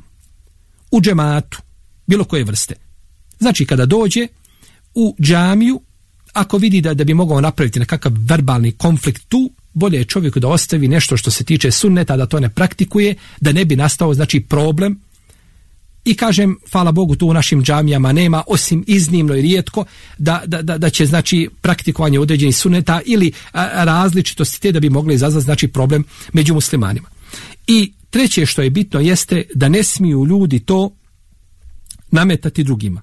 u džematu bilo koje vrste. Znači, kada dođe u džamiju, ako vidi da bi mogao napraviti nekakav verbalni konflikt tu, bolje je čovjeku da ostavi nešto što se tiče sunneta, da to ne praktikuje, da ne bi nastao, znači, problem. I kažem, hvala Bogu, tu u našim džamijama nema, osim iznimno i rijetko, da će, znači, praktikovanje određenih sunneta ili različitosti te da bi mogli izazvati, znači, problem među muslimanima. I treće što je bitno jeste da ne smiju ljudi to nametati drugima.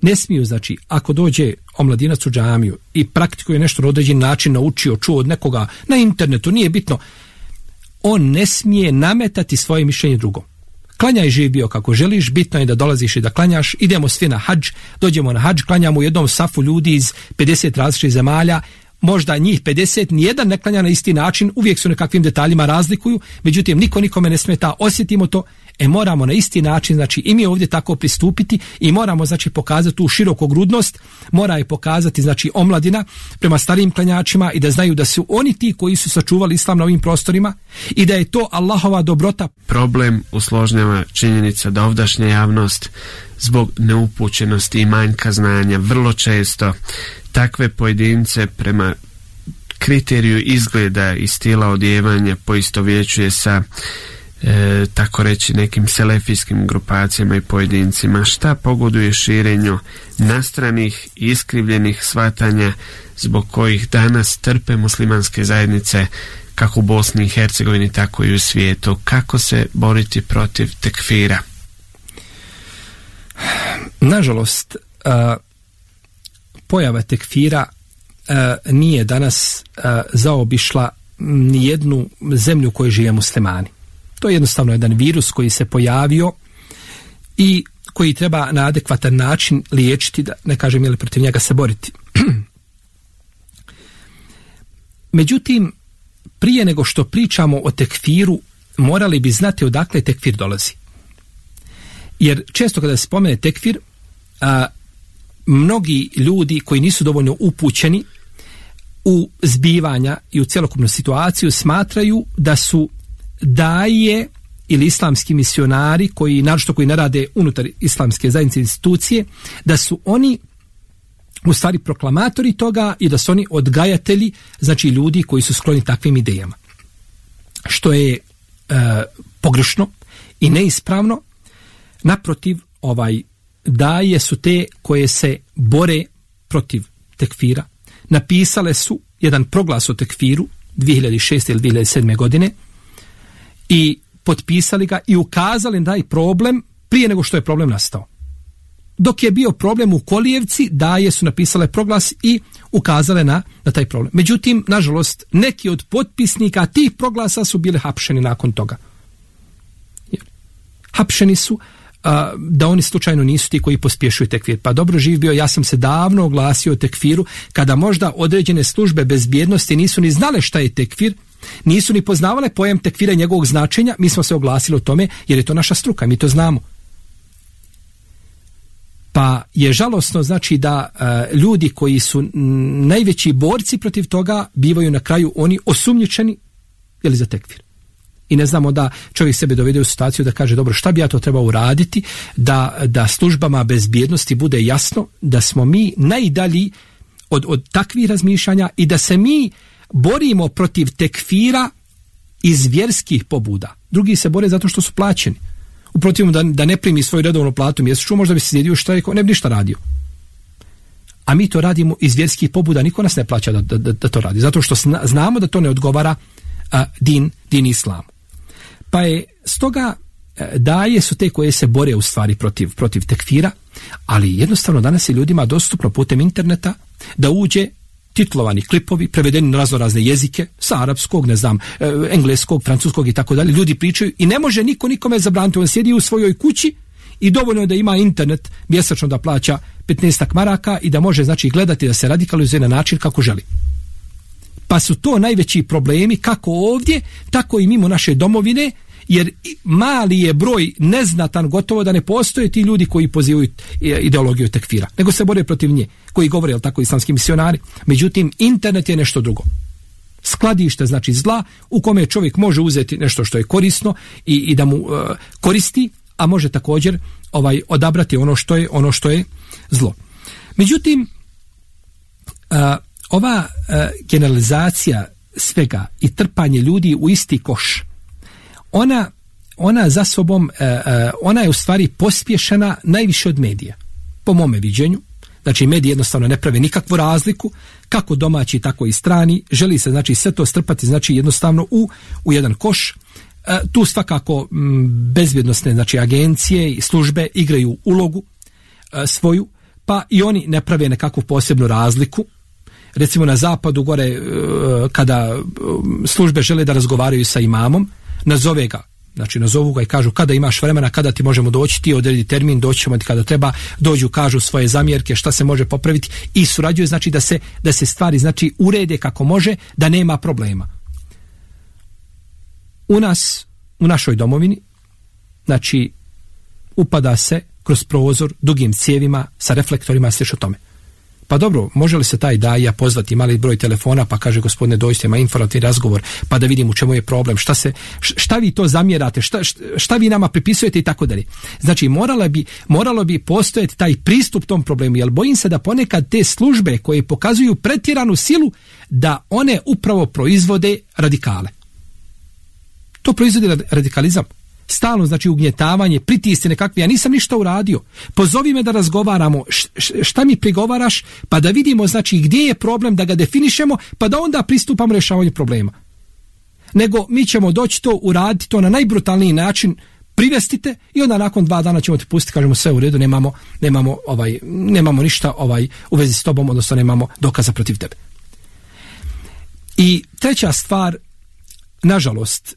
Ne smiju, znači, ako dođe omladinac u džamiju i praktikuje nešto na određen način, naučio, čuo od nekoga na internetu, nije bitno, on ne smije nametati svoje mišljenje drugom. Klanjaj, živ bio kako želiš, bitno je da dolaziš i da klanjaš, idemo svi na hadž, dođemo na hadž, klanjamo u jednom safu ljudi iz 50 različitih zemalja, možda njih 50, nijedan ne klanja na isti način, uvijek su nekakvim detaljima razlikuju, međutim niko nikome ne smeta, osjetimo to, moramo na isti način, znači i mi ovdje tako pristupiti i moramo znači pokazati tu širokogrudnost, mora je pokazati znači omladina prema starijim klanjačima i da znaju da su oni ti koji su sačuvali islam na ovim prostorima i da je to Allahova dobrota. Problem usložnjava činjenica da ovdašnja javnost zbog neupućenosti i manjka znanja vrlo često takve pojedince prema kriteriju izgleda i stila odjevanja poistovjećuje sa tako reći nekim selefijskim grupacijama i pojedincima. Šta pogoduje širenju nastranih i iskrivljenih shvatanja zbog kojih danas trpe muslimanske zajednice kako u Bosni i Hercegovini tako i u svijetu? Kako se boriti protiv tekfira? Nažalost, pojava tekfira nije danas zaobišla ni jednu zemlju u kojoj žive muslimani. To je jednostavno jedan virus koji se pojavio i koji treba na adekvatan način liječiti, da ne kažem je li protiv njega se boriti. Međutim, prije nego što pričamo o tekfiru, morali bi znati odakle tekfir dolazi. Jer često kada se spomene tekfir, mnogi ljudi koji nisu dovoljno upućeni u zbivanja i u cjelokupnu situaciju smatraju da su daje ili islamski misionari koji, naročito koji ne rade unutar islamske zajednice institucije, da su oni u stvari proklamatori toga i da su oni odgajatelji, znači ljudi koji su skloni takvim idejama. Što je pogrešno i neispravno. Naprotiv, daje su te koje se bore protiv tekfira. Napisale su jedan proglas o tekfiru 2006. ili 2007. godine i potpisali ga i ukazali na taj problem prije nego što je problem nastao. Dok je bio problem u Kolijevci, daje su napisale proglas i ukazale na taj problem. Međutim, nažalost, neki od potpisnika tih proglasa su bili hapšeni nakon toga. Hapšeni su da oni slučajno nisu ti koji pospješuju tekfir. Pa dobro, živ bio, ja sam se davno oglasio o tekfiru kada možda određene službe bezbjednosti nisu ni znale šta je tekfir, nisu ni poznavale pojam tekfira i njegovog značenja, mi smo se oglasili o tome jer je to naša struka, mi to znamo. Pa je žalosno znači da ljudi koji su najveći borci protiv toga bivaju na kraju oni osumnjičeni ili za tekfir. I ne znamo da čovjek sebe dovede u situaciju da kaže dobro, šta bi ja to trebao uraditi da službama bezbjednosti bude jasno da smo mi najdalji od takvih razmišljanja i da se mi borimo protiv tekfira iz vjerskih pobuda. Drugi se bore zato što su plaćeni. U protivnom da ne primi svoju redovnu platu mjesečnu, možda bi se sjedio šta rekao, ne bi ništa radio. A mi to radimo iz vjerskih pobuda, niko nas ne plaća da to radi. Zato što znamo da to ne odgovara din islamu. Pa je stoga daje su te koje se bore u stvari protiv tekfira, ali jednostavno danas je ljudima dostupno putem interneta da uđe titlovani klipovi, prevedeni na razne jezike, sa arapskog, ne znam, engleskog, francuskog i tako dalje. Ljudi pričaju i ne može niko nikome zabraniti. On sjedi u svojoj kući i dovoljno je da ima internet mjesečno da plaća 15 maraka i da može znači gledati da se radikalizuje na način kako želi. Pa su to najveći problemi kako ovdje, tako i mimo naše domovine, jer mali je broj neznatan, gotovo da ne postoje ti ljudi koji pozivaju ideologiju tekfira, nego se bore protiv nje, koji govore, jel tako, islamski misionari. Međutim, internet je nešto drugo. Skladište znači zla u kome čovjek može uzeti nešto što je korisno i da mu koristi, a može također odabrati ono što je zlo. Međutim, ova generalizacija svega i trpanje ljudi u isti koš, ona za sobom, ona je u stvari pospješena najviše od medija, po mome viđenju. Znači, mediji jednostavno ne prave nikakvu razliku, kako domaći, tako i strani. Želi se, znači, sve to strpati, znači, jednostavno u jedan koš. Tu svakako bezbjednosne, znači, agencije i službe igraju ulogu svoju, pa i oni ne prave nekakvu posebnu razliku. Recimo na zapadu gore, kada službe žele da razgovaraju sa imamom, nazove ga Znači nazovu ga i kažu kada imaš vremena, kada ti možemo doći, ti odredi termin, doći ćemo ti kada treba, dođu, kažu svoje zamjerke, šta se može popraviti i surađuju, znači da se stvari znači urede kako može, da nema problema. U nas, u našoj domovini, znači upada se kroz prozor dugim cijevima sa reflektorima, sliš o tome. Pa dobro, može li se taj daja pozvati mali broj telefona pa kaže gospodine dođite, ima informativni razgovor pa da vidim u čemu je problem, šta vi to zamjerate, šta vi nama pripisujete i tako dalje. Znači moralo bi postojati taj pristup tom problemu, jer bojim se da ponekad te službe koje pokazuju pretjeranu silu da one upravo proizvode radikale. To proizvodi radikalizam. Stalno, znači ugnjetavanje, pritisci nekakvi, ja nisam ništa uradio, pozovi me da razgovaramo, šta mi prigovaraš, pa da vidimo znači gdje je problem, da ga definišemo, pa da onda pristupamo rješavanju problema. Nego mi ćemo doći to uraditi, to na najbrutalniji način, privestite i onda nakon 2 dana ćemo te pustiti, kažemo sve u redu, nemamo ništa u vezi s tobom, odnosno nemamo dokaza protiv tebe. I treća stvar, nažalost,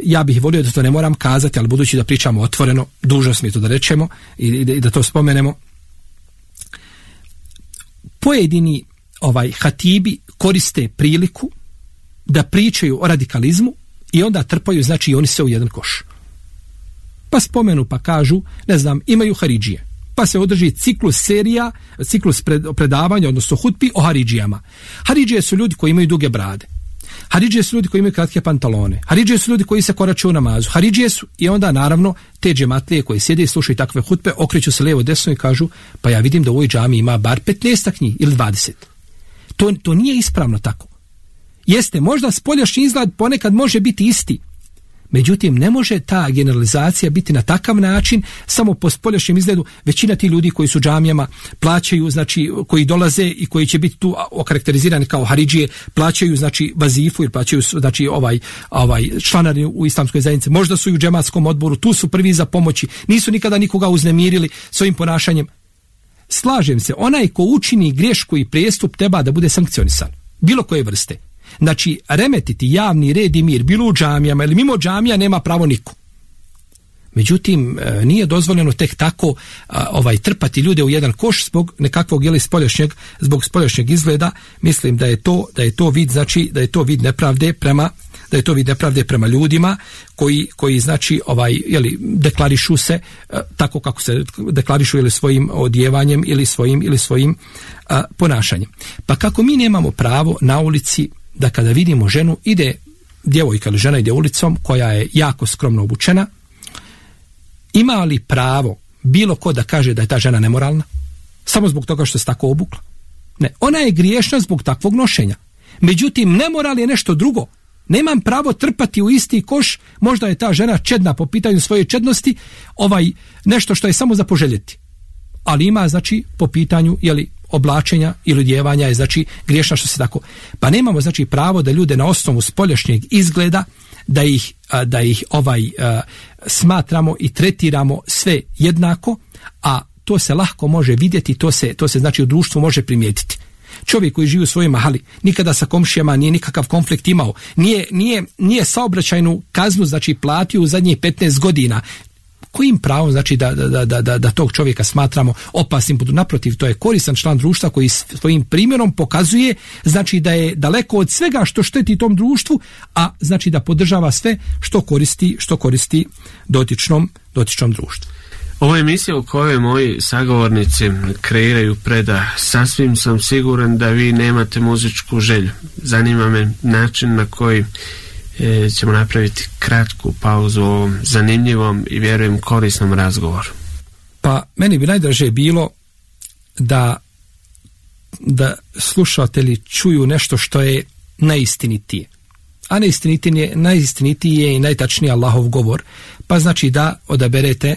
ja bih volio da to ne moram kazati, ali budući da pričamo otvoreno, dužnost mi je to da rečemo i da to spomenemo. Pojedini hatibi koriste priliku da pričaju o radikalizmu i onda trpaju, znači i oni se u jedan koš. Pa spomenu, pa kažu, ne znam, imaju haridžije. Pa se održi ciklus predavanja, odnosno hutbi o haridžijama. Haridžije su ljudi koji imaju duge brade. Haridžije su ljudi koji imaju kratke pantalone. Haridžije su ljudi koji se koraču u namazu. Haridžije su i onda naravno te džematlije koji sjede i slušaju takve hutbe okreću se lijevo desno i kažu pa ja vidim da u ovoj džami ima bar 15 njih ili 20. To nije ispravno tako. Jeste, možda spoljašnji izgled ponekad može biti isti. Međutim, ne može ta generalizacija biti na takav način samo po spoljašnjem izgledu. Većina ti ljudi koji su džamijama plaćaju, znači koji dolaze i koji će biti tu okarakterizirani kao haridžije, plaćaju znači vazifu ili plaćaju znači članarinu u islamskoj zajednici. Možda su i u džematskom odboru, tu su prvi za pomoći, nisu nikada nikoga uznemirili svojim ponašanjem. Slažem se, onaj ko učini grešku i prijestup treba da bude sankcionisan, bilo koje vrste. Znači, remetiti javni red i mir, bilo u džamijama ili mimo džamija, nema pravo niko. Međutim, nije dozvoljeno tek tako trpati ljude u jedan koš zbog nekakvog zbog spoljašnjeg izgleda. Mislim da je to vid, znači da je to vid nepravde prema ljudima koji znači deklarišu se tako kako se deklarišu ili svojim odjevanjem ili svojim ponašanjem. Pa kako mi nemamo pravo na ulici da kada vidimo ženu, ide djevojka ili žena ide ulicom koja je jako skromno obučena, ima li pravo bilo ko da kaže da je ta žena nemoralna samo zbog toga što se tako obukla? Ne, ona je griješna zbog takvog nošenja. Međutim, nemoral je nešto drugo. Nemam pravo trpati u isti koš, možda je ta žena čedna po pitanju svoje čednosti, nešto što je samo za poželjeti. Ali ima, znači, po pitanju oblačenja ili odjevanja je, znači, griješna što se tako. Pa nemamo, znači, pravo da ljude na osnovu spoljašnjeg izgleda da ih smatramo i tretiramo sve jednako, a to se lahko može vidjeti, to se znači u društvu može primijetiti. Čovjek koji živi u svojoj mahali, nikada sa komšijama nije nikakav konflikt imao, nije saobraćajnu kaznu znači platio u zadnjih 15 godina. Kojim pravom znači da tog čovjeka smatramo opasnim? Naprotiv, to je koristan član društva koji svojim primjerom pokazuje znači da je daleko od svega što šteti tom društvu, a znači da podržava sve što koristi dotičnom društvu. Ovo je emisija u kojoj moji sagovornici kreiraju predah. Sasvim sam siguran da vi nemate muzičku želju. Zanima me način na koji ćemo napraviti kratku pauzu u ovom zanimljivom i vjerujem korisnom razgovoru. Pa meni bi najdraže bilo da slušatelji čuju nešto što je najistinitije. A najistinitiji je i najtačniji Allahov govor. Pa znači da odaberete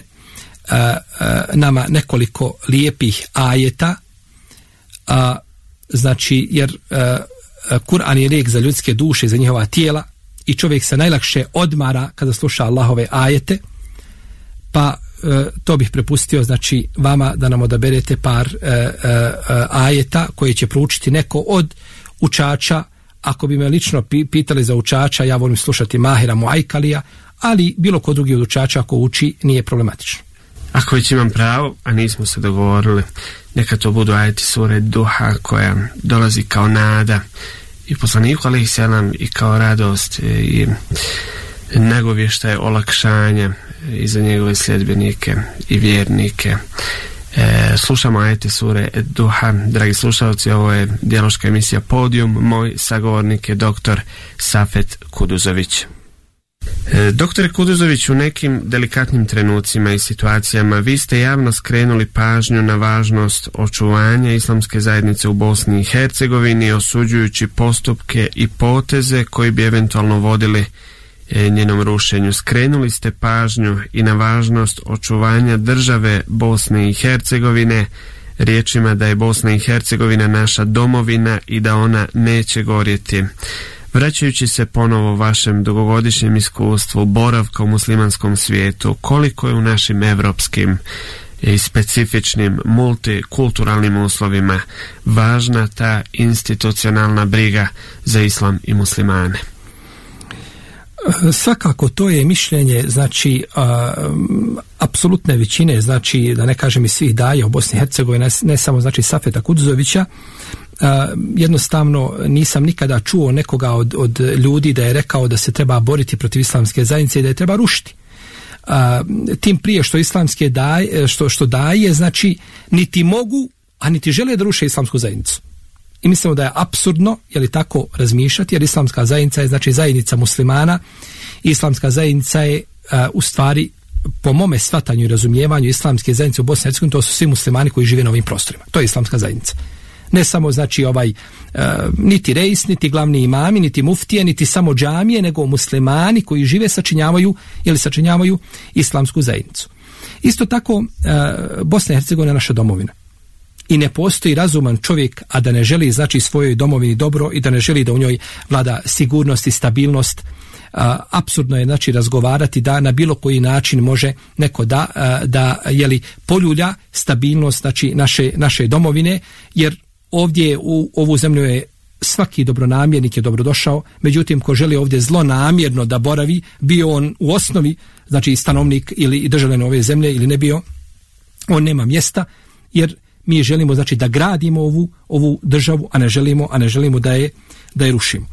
nama nekoliko lijepih ajeta, znači jer Kur'an je lijek za ljudske duše, za njihova tijela i čovjek se najlakše odmara kada sluša Allahove ajete, pa to bih prepustio znači vama da nam odaberete par ajeta koje će proučiti neko od učača. Ako bi me lično pitali za učača, ja volim slušati Mahira Muajkalija, ali bilo ko drugi od učača ako uči nije problematično. Ako već imam pravo, a nismo se dogovorili, neka to budu ajeti sure Duha koja dolazi kao nada i poslaniku alejhi selam i kao radost i nagovještaj olakšanja i za njegove sljedbenike i vjernike. Slušamo ajete sure Duha. Dragi slušalci, ovo je dijaloška emisija Podijum. Moj sagovornik je doktor Safet Kuduzović. Doktore Kuduzović, u nekim delikatnim trenucima i situacijama vi ste javno skrenuli pažnju na važnost očuvanja islamske zajednice u Bosni i Hercegovini, osuđujući postupke i poteze koji bi eventualno vodili njenom rušenju. Skrenuli ste pažnju i na važnost očuvanja države Bosne i Hercegovine riječima da je Bosna i Hercegovina naša domovina i da ona neće gorjeti. Vraćajući se ponovo vašem dugogodišnjem iskustvu boravka u muslimanskom svijetu, koliko je u našim evropskim i specifičnim multikulturalnim uslovima važna ta institucionalna briga za islam i muslimane? Svakako to je mišljenje, znači apsolutne većine, znači da ne kažem i svih daja u Bosni i Hercegovini, ne samo znači Safeta Kuduzovića. Jednostavno nisam nikada čuo nekoga od ljudi da je rekao da se treba boriti protiv islamske zajednice i da je treba rušiti. Tim prije što islamske daje, što daje, znači niti mogu, a niti žele da ruše islamsku zajednicu. I mislimo da je apsurdno, je li tako, razmišljati, jer islamska zajednica je znači zajednica muslimana. Islamska zajednica je u stvari, po mome shvatanju i razumijevanju islamske zajednice u Bosni i Hercegovini, to su svi muslimani koji žive na ovim prostorima. To je islamska zajednica. Ne samo znači niti rejs, niti glavni imami, niti muftije, niti samo džamije, nego muslimani koji žive sačinjavaju islamsku zajednicu. Isto tako Bosna i Hercegovina je naša domovina. I ne postoji razuman čovjek, a da ne želi znači svojoj domovini dobro i da ne želi da u njoj vlada sigurnost i stabilnost. Apsurdno je znači razgovarati da na bilo koji način može neko da poljulja stabilnost znači naše domovine, jer ovdje u ovu zemlju je svaki dobronamjernik je dobrodošao, međutim ko želi ovdje zlonamjerno da boravi, bio on u osnovi znači stanovnik ili državljanin ove zemlje ili ne bio, on nema mjesta, jer mi želimo znači da gradimo ovu državu, a ne želimo da je rušimo.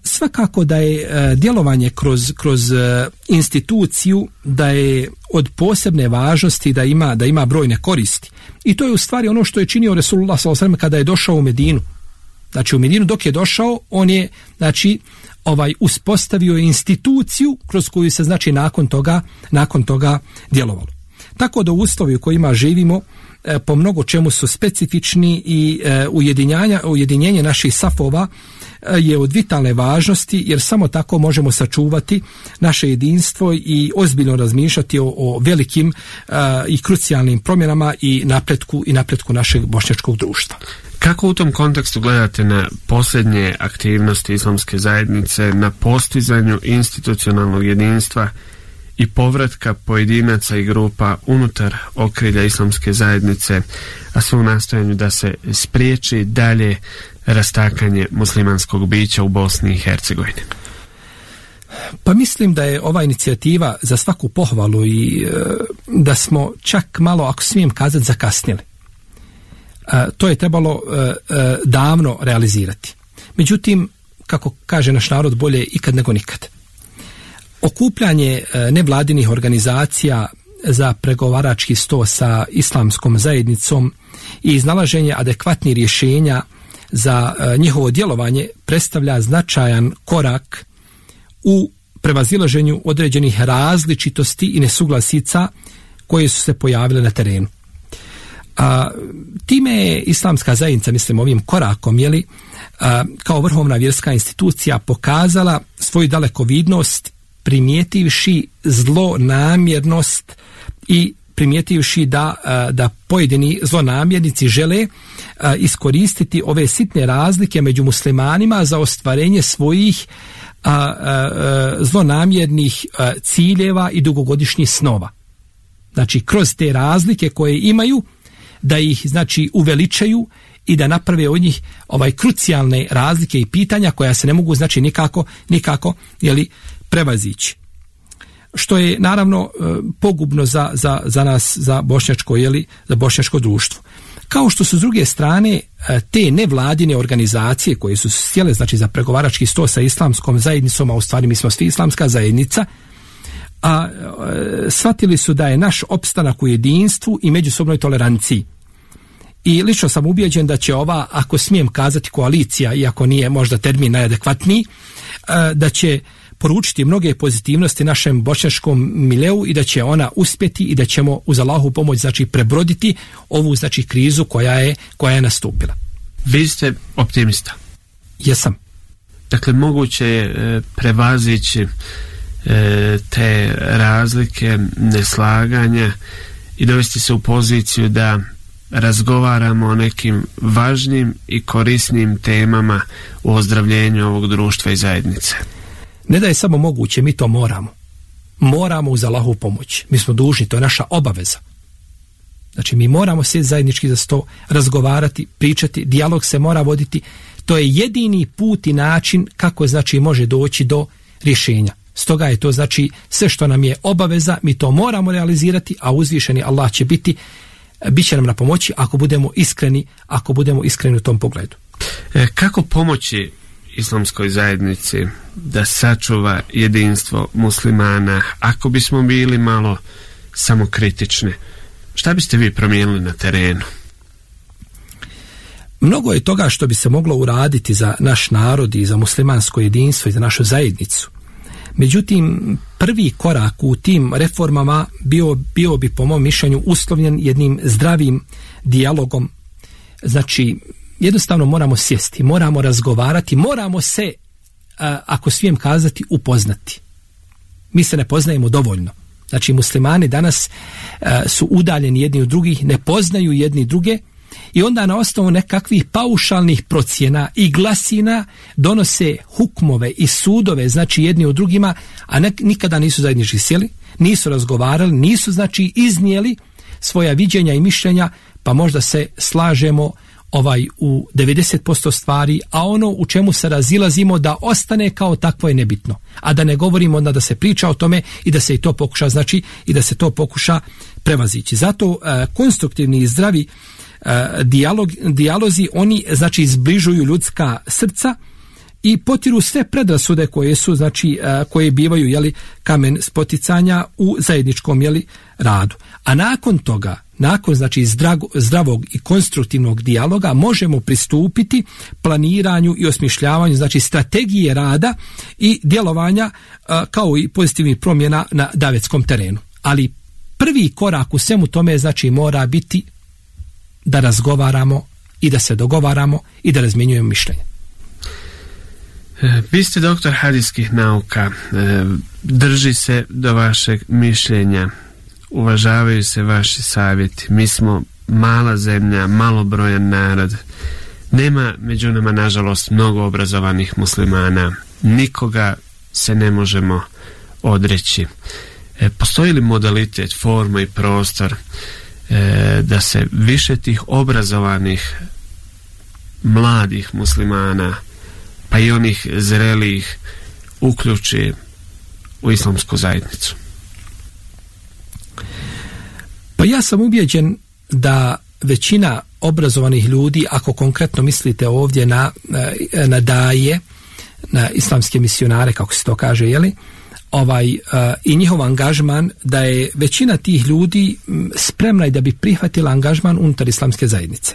Svakako da je djelovanje kroz instituciju da je od posebne važnosti, da ima brojne koristi. I to je u stvari ono što je činio Resulullah sallallahu alejhi ve sellem kada je došao u Medinu. Znači u Medinu dok je došao, on je znači uspostavio instituciju kroz koju se znači nakon toga djelovalo. Tako da uslovi u kojima živimo po mnogo čemu su specifični i ujedinjenje naših safova je od vitalne važnosti, jer samo tako možemo sačuvati naše jedinstvo i ozbiljno razmišljati o velikim i krucijalnim promjenama i napretku našeg bošnjačkog društva. Kako u tom kontekstu gledate na posljednje aktivnosti islamske zajednice na postizanju institucionalnog jedinstva i povratka pojedinaca i grupa unutar okrilja islamske zajednice, a sve u nastojanju da se spriječi dalje rastakanje muslimanskog bića u Bosni i Hercegovini? Pa mislim da je ova inicijativa za svaku pohvalu i da smo čak malo, ako smijem kazati, zakasnili. To je trebalo davno realizirati. Međutim, kako kaže naš narod, bolje ikad nego nikad. Okupljanje nevladinih organizacija za pregovarački sto sa islamskom zajednicom i iznalaženje adekvatnih rješenja za njihovo djelovanje predstavlja značajan korak u prevazilaženju određenih različitosti i nesuglasica koje su se pojavile na terenu. Time je islamska zajednica, mislim ovim korakom, kao vrhovna vjerska institucija pokazala svoju dalekovidnost, primijetivši zlonamjernost i primijetivši da pojedini zlonamjernici žele iskoristiti ove sitne razlike među muslimanima za ostvarenje svojih zlonamjernih ciljeva i dugogodišnjih snova. Znači, kroz te razlike koje imaju, da ih znači uveličaju i da naprave od njih krucijalne razlike i pitanja koja se ne mogu znači nikako prevazići. što je naravno pogubno za nas, za bošnjačko društvo. Kao što su s druge strane te nevladine organizacije koje su sjele znači za pregovarački sto sa islamskom zajednicom, a u stvari mi smo svi islamska zajednica, a shvatili su da je naš opstanak u jedinstvu i međusobnoj toleranciji. I lično sam ubijeđen da će ova, ako smijem kazati, koalicija, iako nije možda termin najadekvatniji, da će poručiti mnoge pozitivnosti našem bošnjačkom mileu i da će ona uspjeti i da ćemo uz Allahovu pomoć znači prebroditi ovu znači krizu koja je nastupila. Vi ste optimista? Jesam. Dakle, moguće je prevazići te razlike, neslaganja i dovesti se u poziciju da razgovaramo o nekim važnim i korisnim temama u ozdravljenju ovog društva i zajednice. Ne da je samo moguće, mi to moramo. Moramo uz Allahovu pomoć. Mi smo dužni, to je naša obaveza. Znači, mi moramo sjeti zajednički za sto, razgovarati, pričati, dijalog se mora voditi. To je jedini put i način kako znači može doći do rješenja. Stoga je to znači sve što nam je obaveza, mi to moramo realizirati, a uzvišeni Allah će bit će nam na pomoći ako budemo iskreni u tom pogledu. Kako pomoći islamskoj zajednici da sačuva jedinstvo muslimana, ako bismo bili malo samokritični? Šta biste vi promijenili na terenu? Mnogo je toga što bi se moglo uraditi za naš narod i za muslimansko jedinstvo i za našu zajednicu. Međutim, prvi korak u tim reformama bio bi po mom mišljenju uslovljen jednim zdravim dijalogom. Znači, jednostavno moramo sjesti, moramo razgovarati, moramo se, ako smijem kazati, upoznati. Mi se ne poznajemo dovoljno. Znači, muslimani danas su udaljeni jedni od drugih, ne poznaju jedni druge i onda na osnovu nekakvih paušalnih procjena i glasina donose hukmove i sudove, znači jedni od drugima, a nikada nisu zajednički sjeli, nisu razgovarali, nisu znači iznijeli svoja viđenja i mišljenja, pa možda se slažemo u 90% stvari, a ono u čemu se razilazimo da ostane kao takvo je nebitno. A da ne govorimo onda da se priča o tome i da se i to pokuša, znači i da se to pokuša prevazići. Zato konstruktivni i zdravi dijalozi, oni znači zbližuju ljudska srca i potiru sve predrasude koje su, znači koje bivaju kamen spoticanja u zajedničkom radu. A nakon toga, nakon znači zdravog i konstruktivnog dijaloga možemo pristupiti planiranju i osmišljavanju znači strategije rada i djelovanja kao i pozitivnih promjena na davetskom terenu. Ali prvi korak u svemu tome znači mora biti da razgovaramo i da se dogovaramo i da razmjenjujemo mišljenje. Vi ste doktor hadijskih nauka, drži se do vašeg mišljenja, uvažavaju se vaši savjeti. Mi smo mala zemlja, malobrojan narod. Nema među nama, nažalost, mnogo obrazovanih muslimana. Nikoga se ne možemo odreći. Postoji li modalitet, forma i prostor da se više tih obrazovanih mladih muslimana, pa i onih zrelijih, uključi u islamsku zajednicu? Pa ja sam ubijeđen da većina obrazovanih ljudi, ako konkretno mislite ovdje na daje, na islamske misionare, kako se to kaže, i njihov angažman, da je većina tih ljudi spremna i da bi prihvatila angažman unutar islamske zajednice.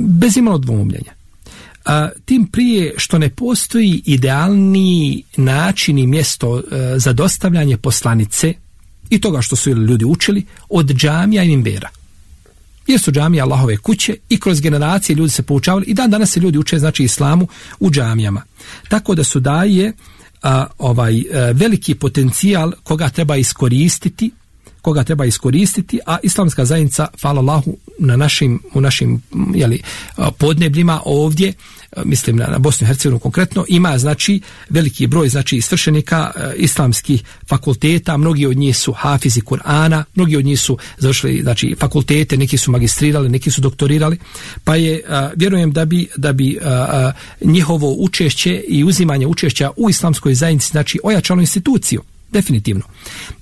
Bez imalo dvoumljenja. Tim prije što ne postoji idealni način i mjesto za dostavljanje poslanice i toga što su ljudi učili od džamija i minbera. Jer su džamije Allahove kuće i kroz generacije ljudi se poučavali i dan danas se ljudi uče znači islamu u džamijama. Tako da su daje veliki potencijal koga treba iskoristiti, a islamska zajednica, hvala Allahu, u našim podnebljima ovdje, mislim na Bosnu i Hercegovinu konkretno, ima znači veliki broj znači svršenika islamskih fakulteta, mnogi od njih su hafizi Kur'ana, mnogi od njih su završili znači fakultete, neki su magistrirali, neki su doktorirali, pa je vjerujem da bi njihovo učešće i uzimanje učešća u islamskoj zajednici znači ojačalo instituciju. Definitivno.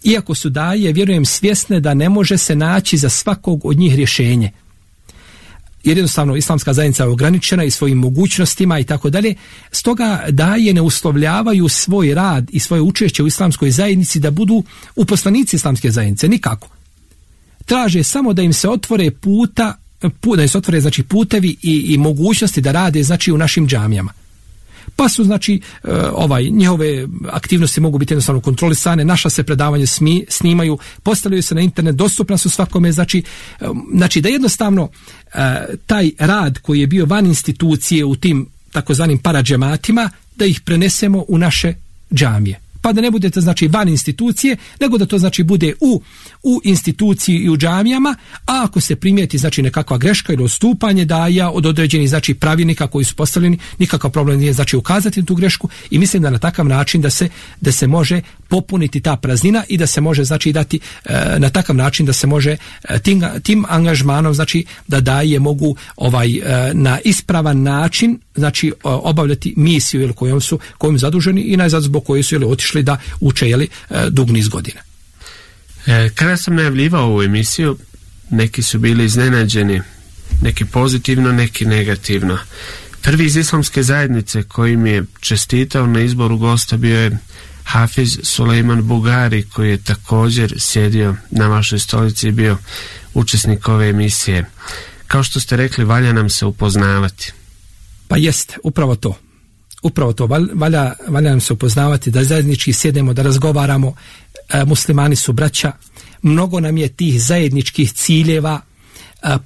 Iako su daje, vjerujem, svjesne da ne može se naći za svakog od njih rješenje. Jer jednostavno islamska zajednica je ograničena i svojim mogućnostima i tako dalje. Stoga daje ne uslovljavaju svoj rad i svoje učešće u islamskoj zajednici da budu uposlenici islamske zajednice. Nikako. Traže samo da im se otvore da im se otvore znači putevi i mogućnosti da rade znači u našim džamijama. Pa su znači njihove aktivnosti mogu biti jednostavno kontrolisane, naša se predavanja snimaju, postavljaju se na internet, dostupna su svakome, znači da jednostavno taj rad koji je bio van institucije u tim takozvanim paradžematima, da ih prenesemo u naše džamije. Pa da ne budete znači van institucije, nego da to znači bude u instituciji i u džamijama, a ako se primijeti znači nekakva greška ili odstupanje daja od određenih znači pravilnika koji su postavljeni, nikakav problem nije znači ukazati na tu grešku i mislim da na takav način da se može popuniti ta praznina i da se može znači dati na takav način da se može tim angažmanom znači da daje mogu na ispravan način znači obavljati misiju ili kojom zaduženi i najzad zbog koje su otišli da uče dug niz godina. Kada sam najavljivao ovu emisiju, neki su bili iznenađeni, neki pozitivno, neki negativno. Prvi iz islamske zajednice koji mi je čestitao na izboru gosta bio je Hafiz Sulejman Bugari, koji je također sjedio na vašoj stolici i bio učesnik ove emisije. Kao što ste rekli, valja nam se upoznavati. Pa jeste, upravo to. Valja nam se upoznavati, da zajednički sjedemo, da razgovaramo. Muslimani su braća, mnogo nam je tih zajedničkih ciljeva,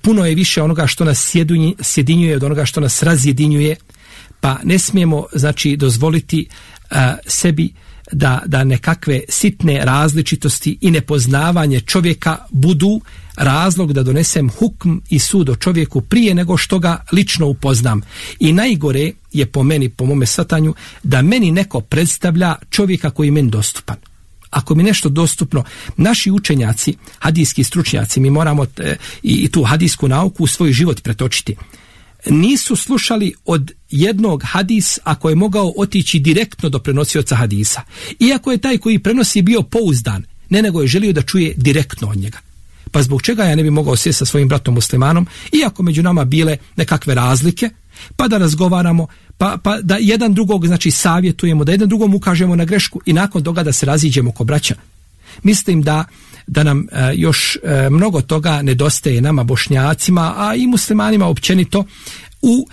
puno je više onoga što nas sjedinjuje od onoga što nas razjedinjuje, pa ne smijemo znači dozvoliti sebi da nekakve sitne različitosti i nepoznavanje čovjeka budu razlog da donesem hukm i sud o čovjeku prije nego što ga lično upoznam. I najgore je po mome shvatanju, da meni neko predstavlja čovjeka koji je meni dostupan. Ako mi nešto dostupno, naši učenjaci, hadijski stručnjaci, mi moramo i tu hadijsku nauku u svoj život pretočiti. Nisu slušali od jednog hadis ako je mogao otići direktno do prenosioca hadisa. Iako je taj koji prenosi bio pouzdan, nego je želio da čuje direktno od njega. Pa zbog čega ja ne bi mogao sjesti sa svojim bratom muslimanom, iako među nama bile nekakve razlike, pa da razgovaramo, pa da jedan drugog znači savjetujemo, da jedan drugom ukažemo na grešku i nakon toga da se raziđemo ko braća. Mislim da nam još mnogo toga nedostaje nama Bošnjacima, a i muslimanima općenito u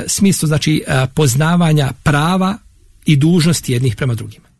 smislu znači poznavanja prava i dužnosti jednih prema drugima.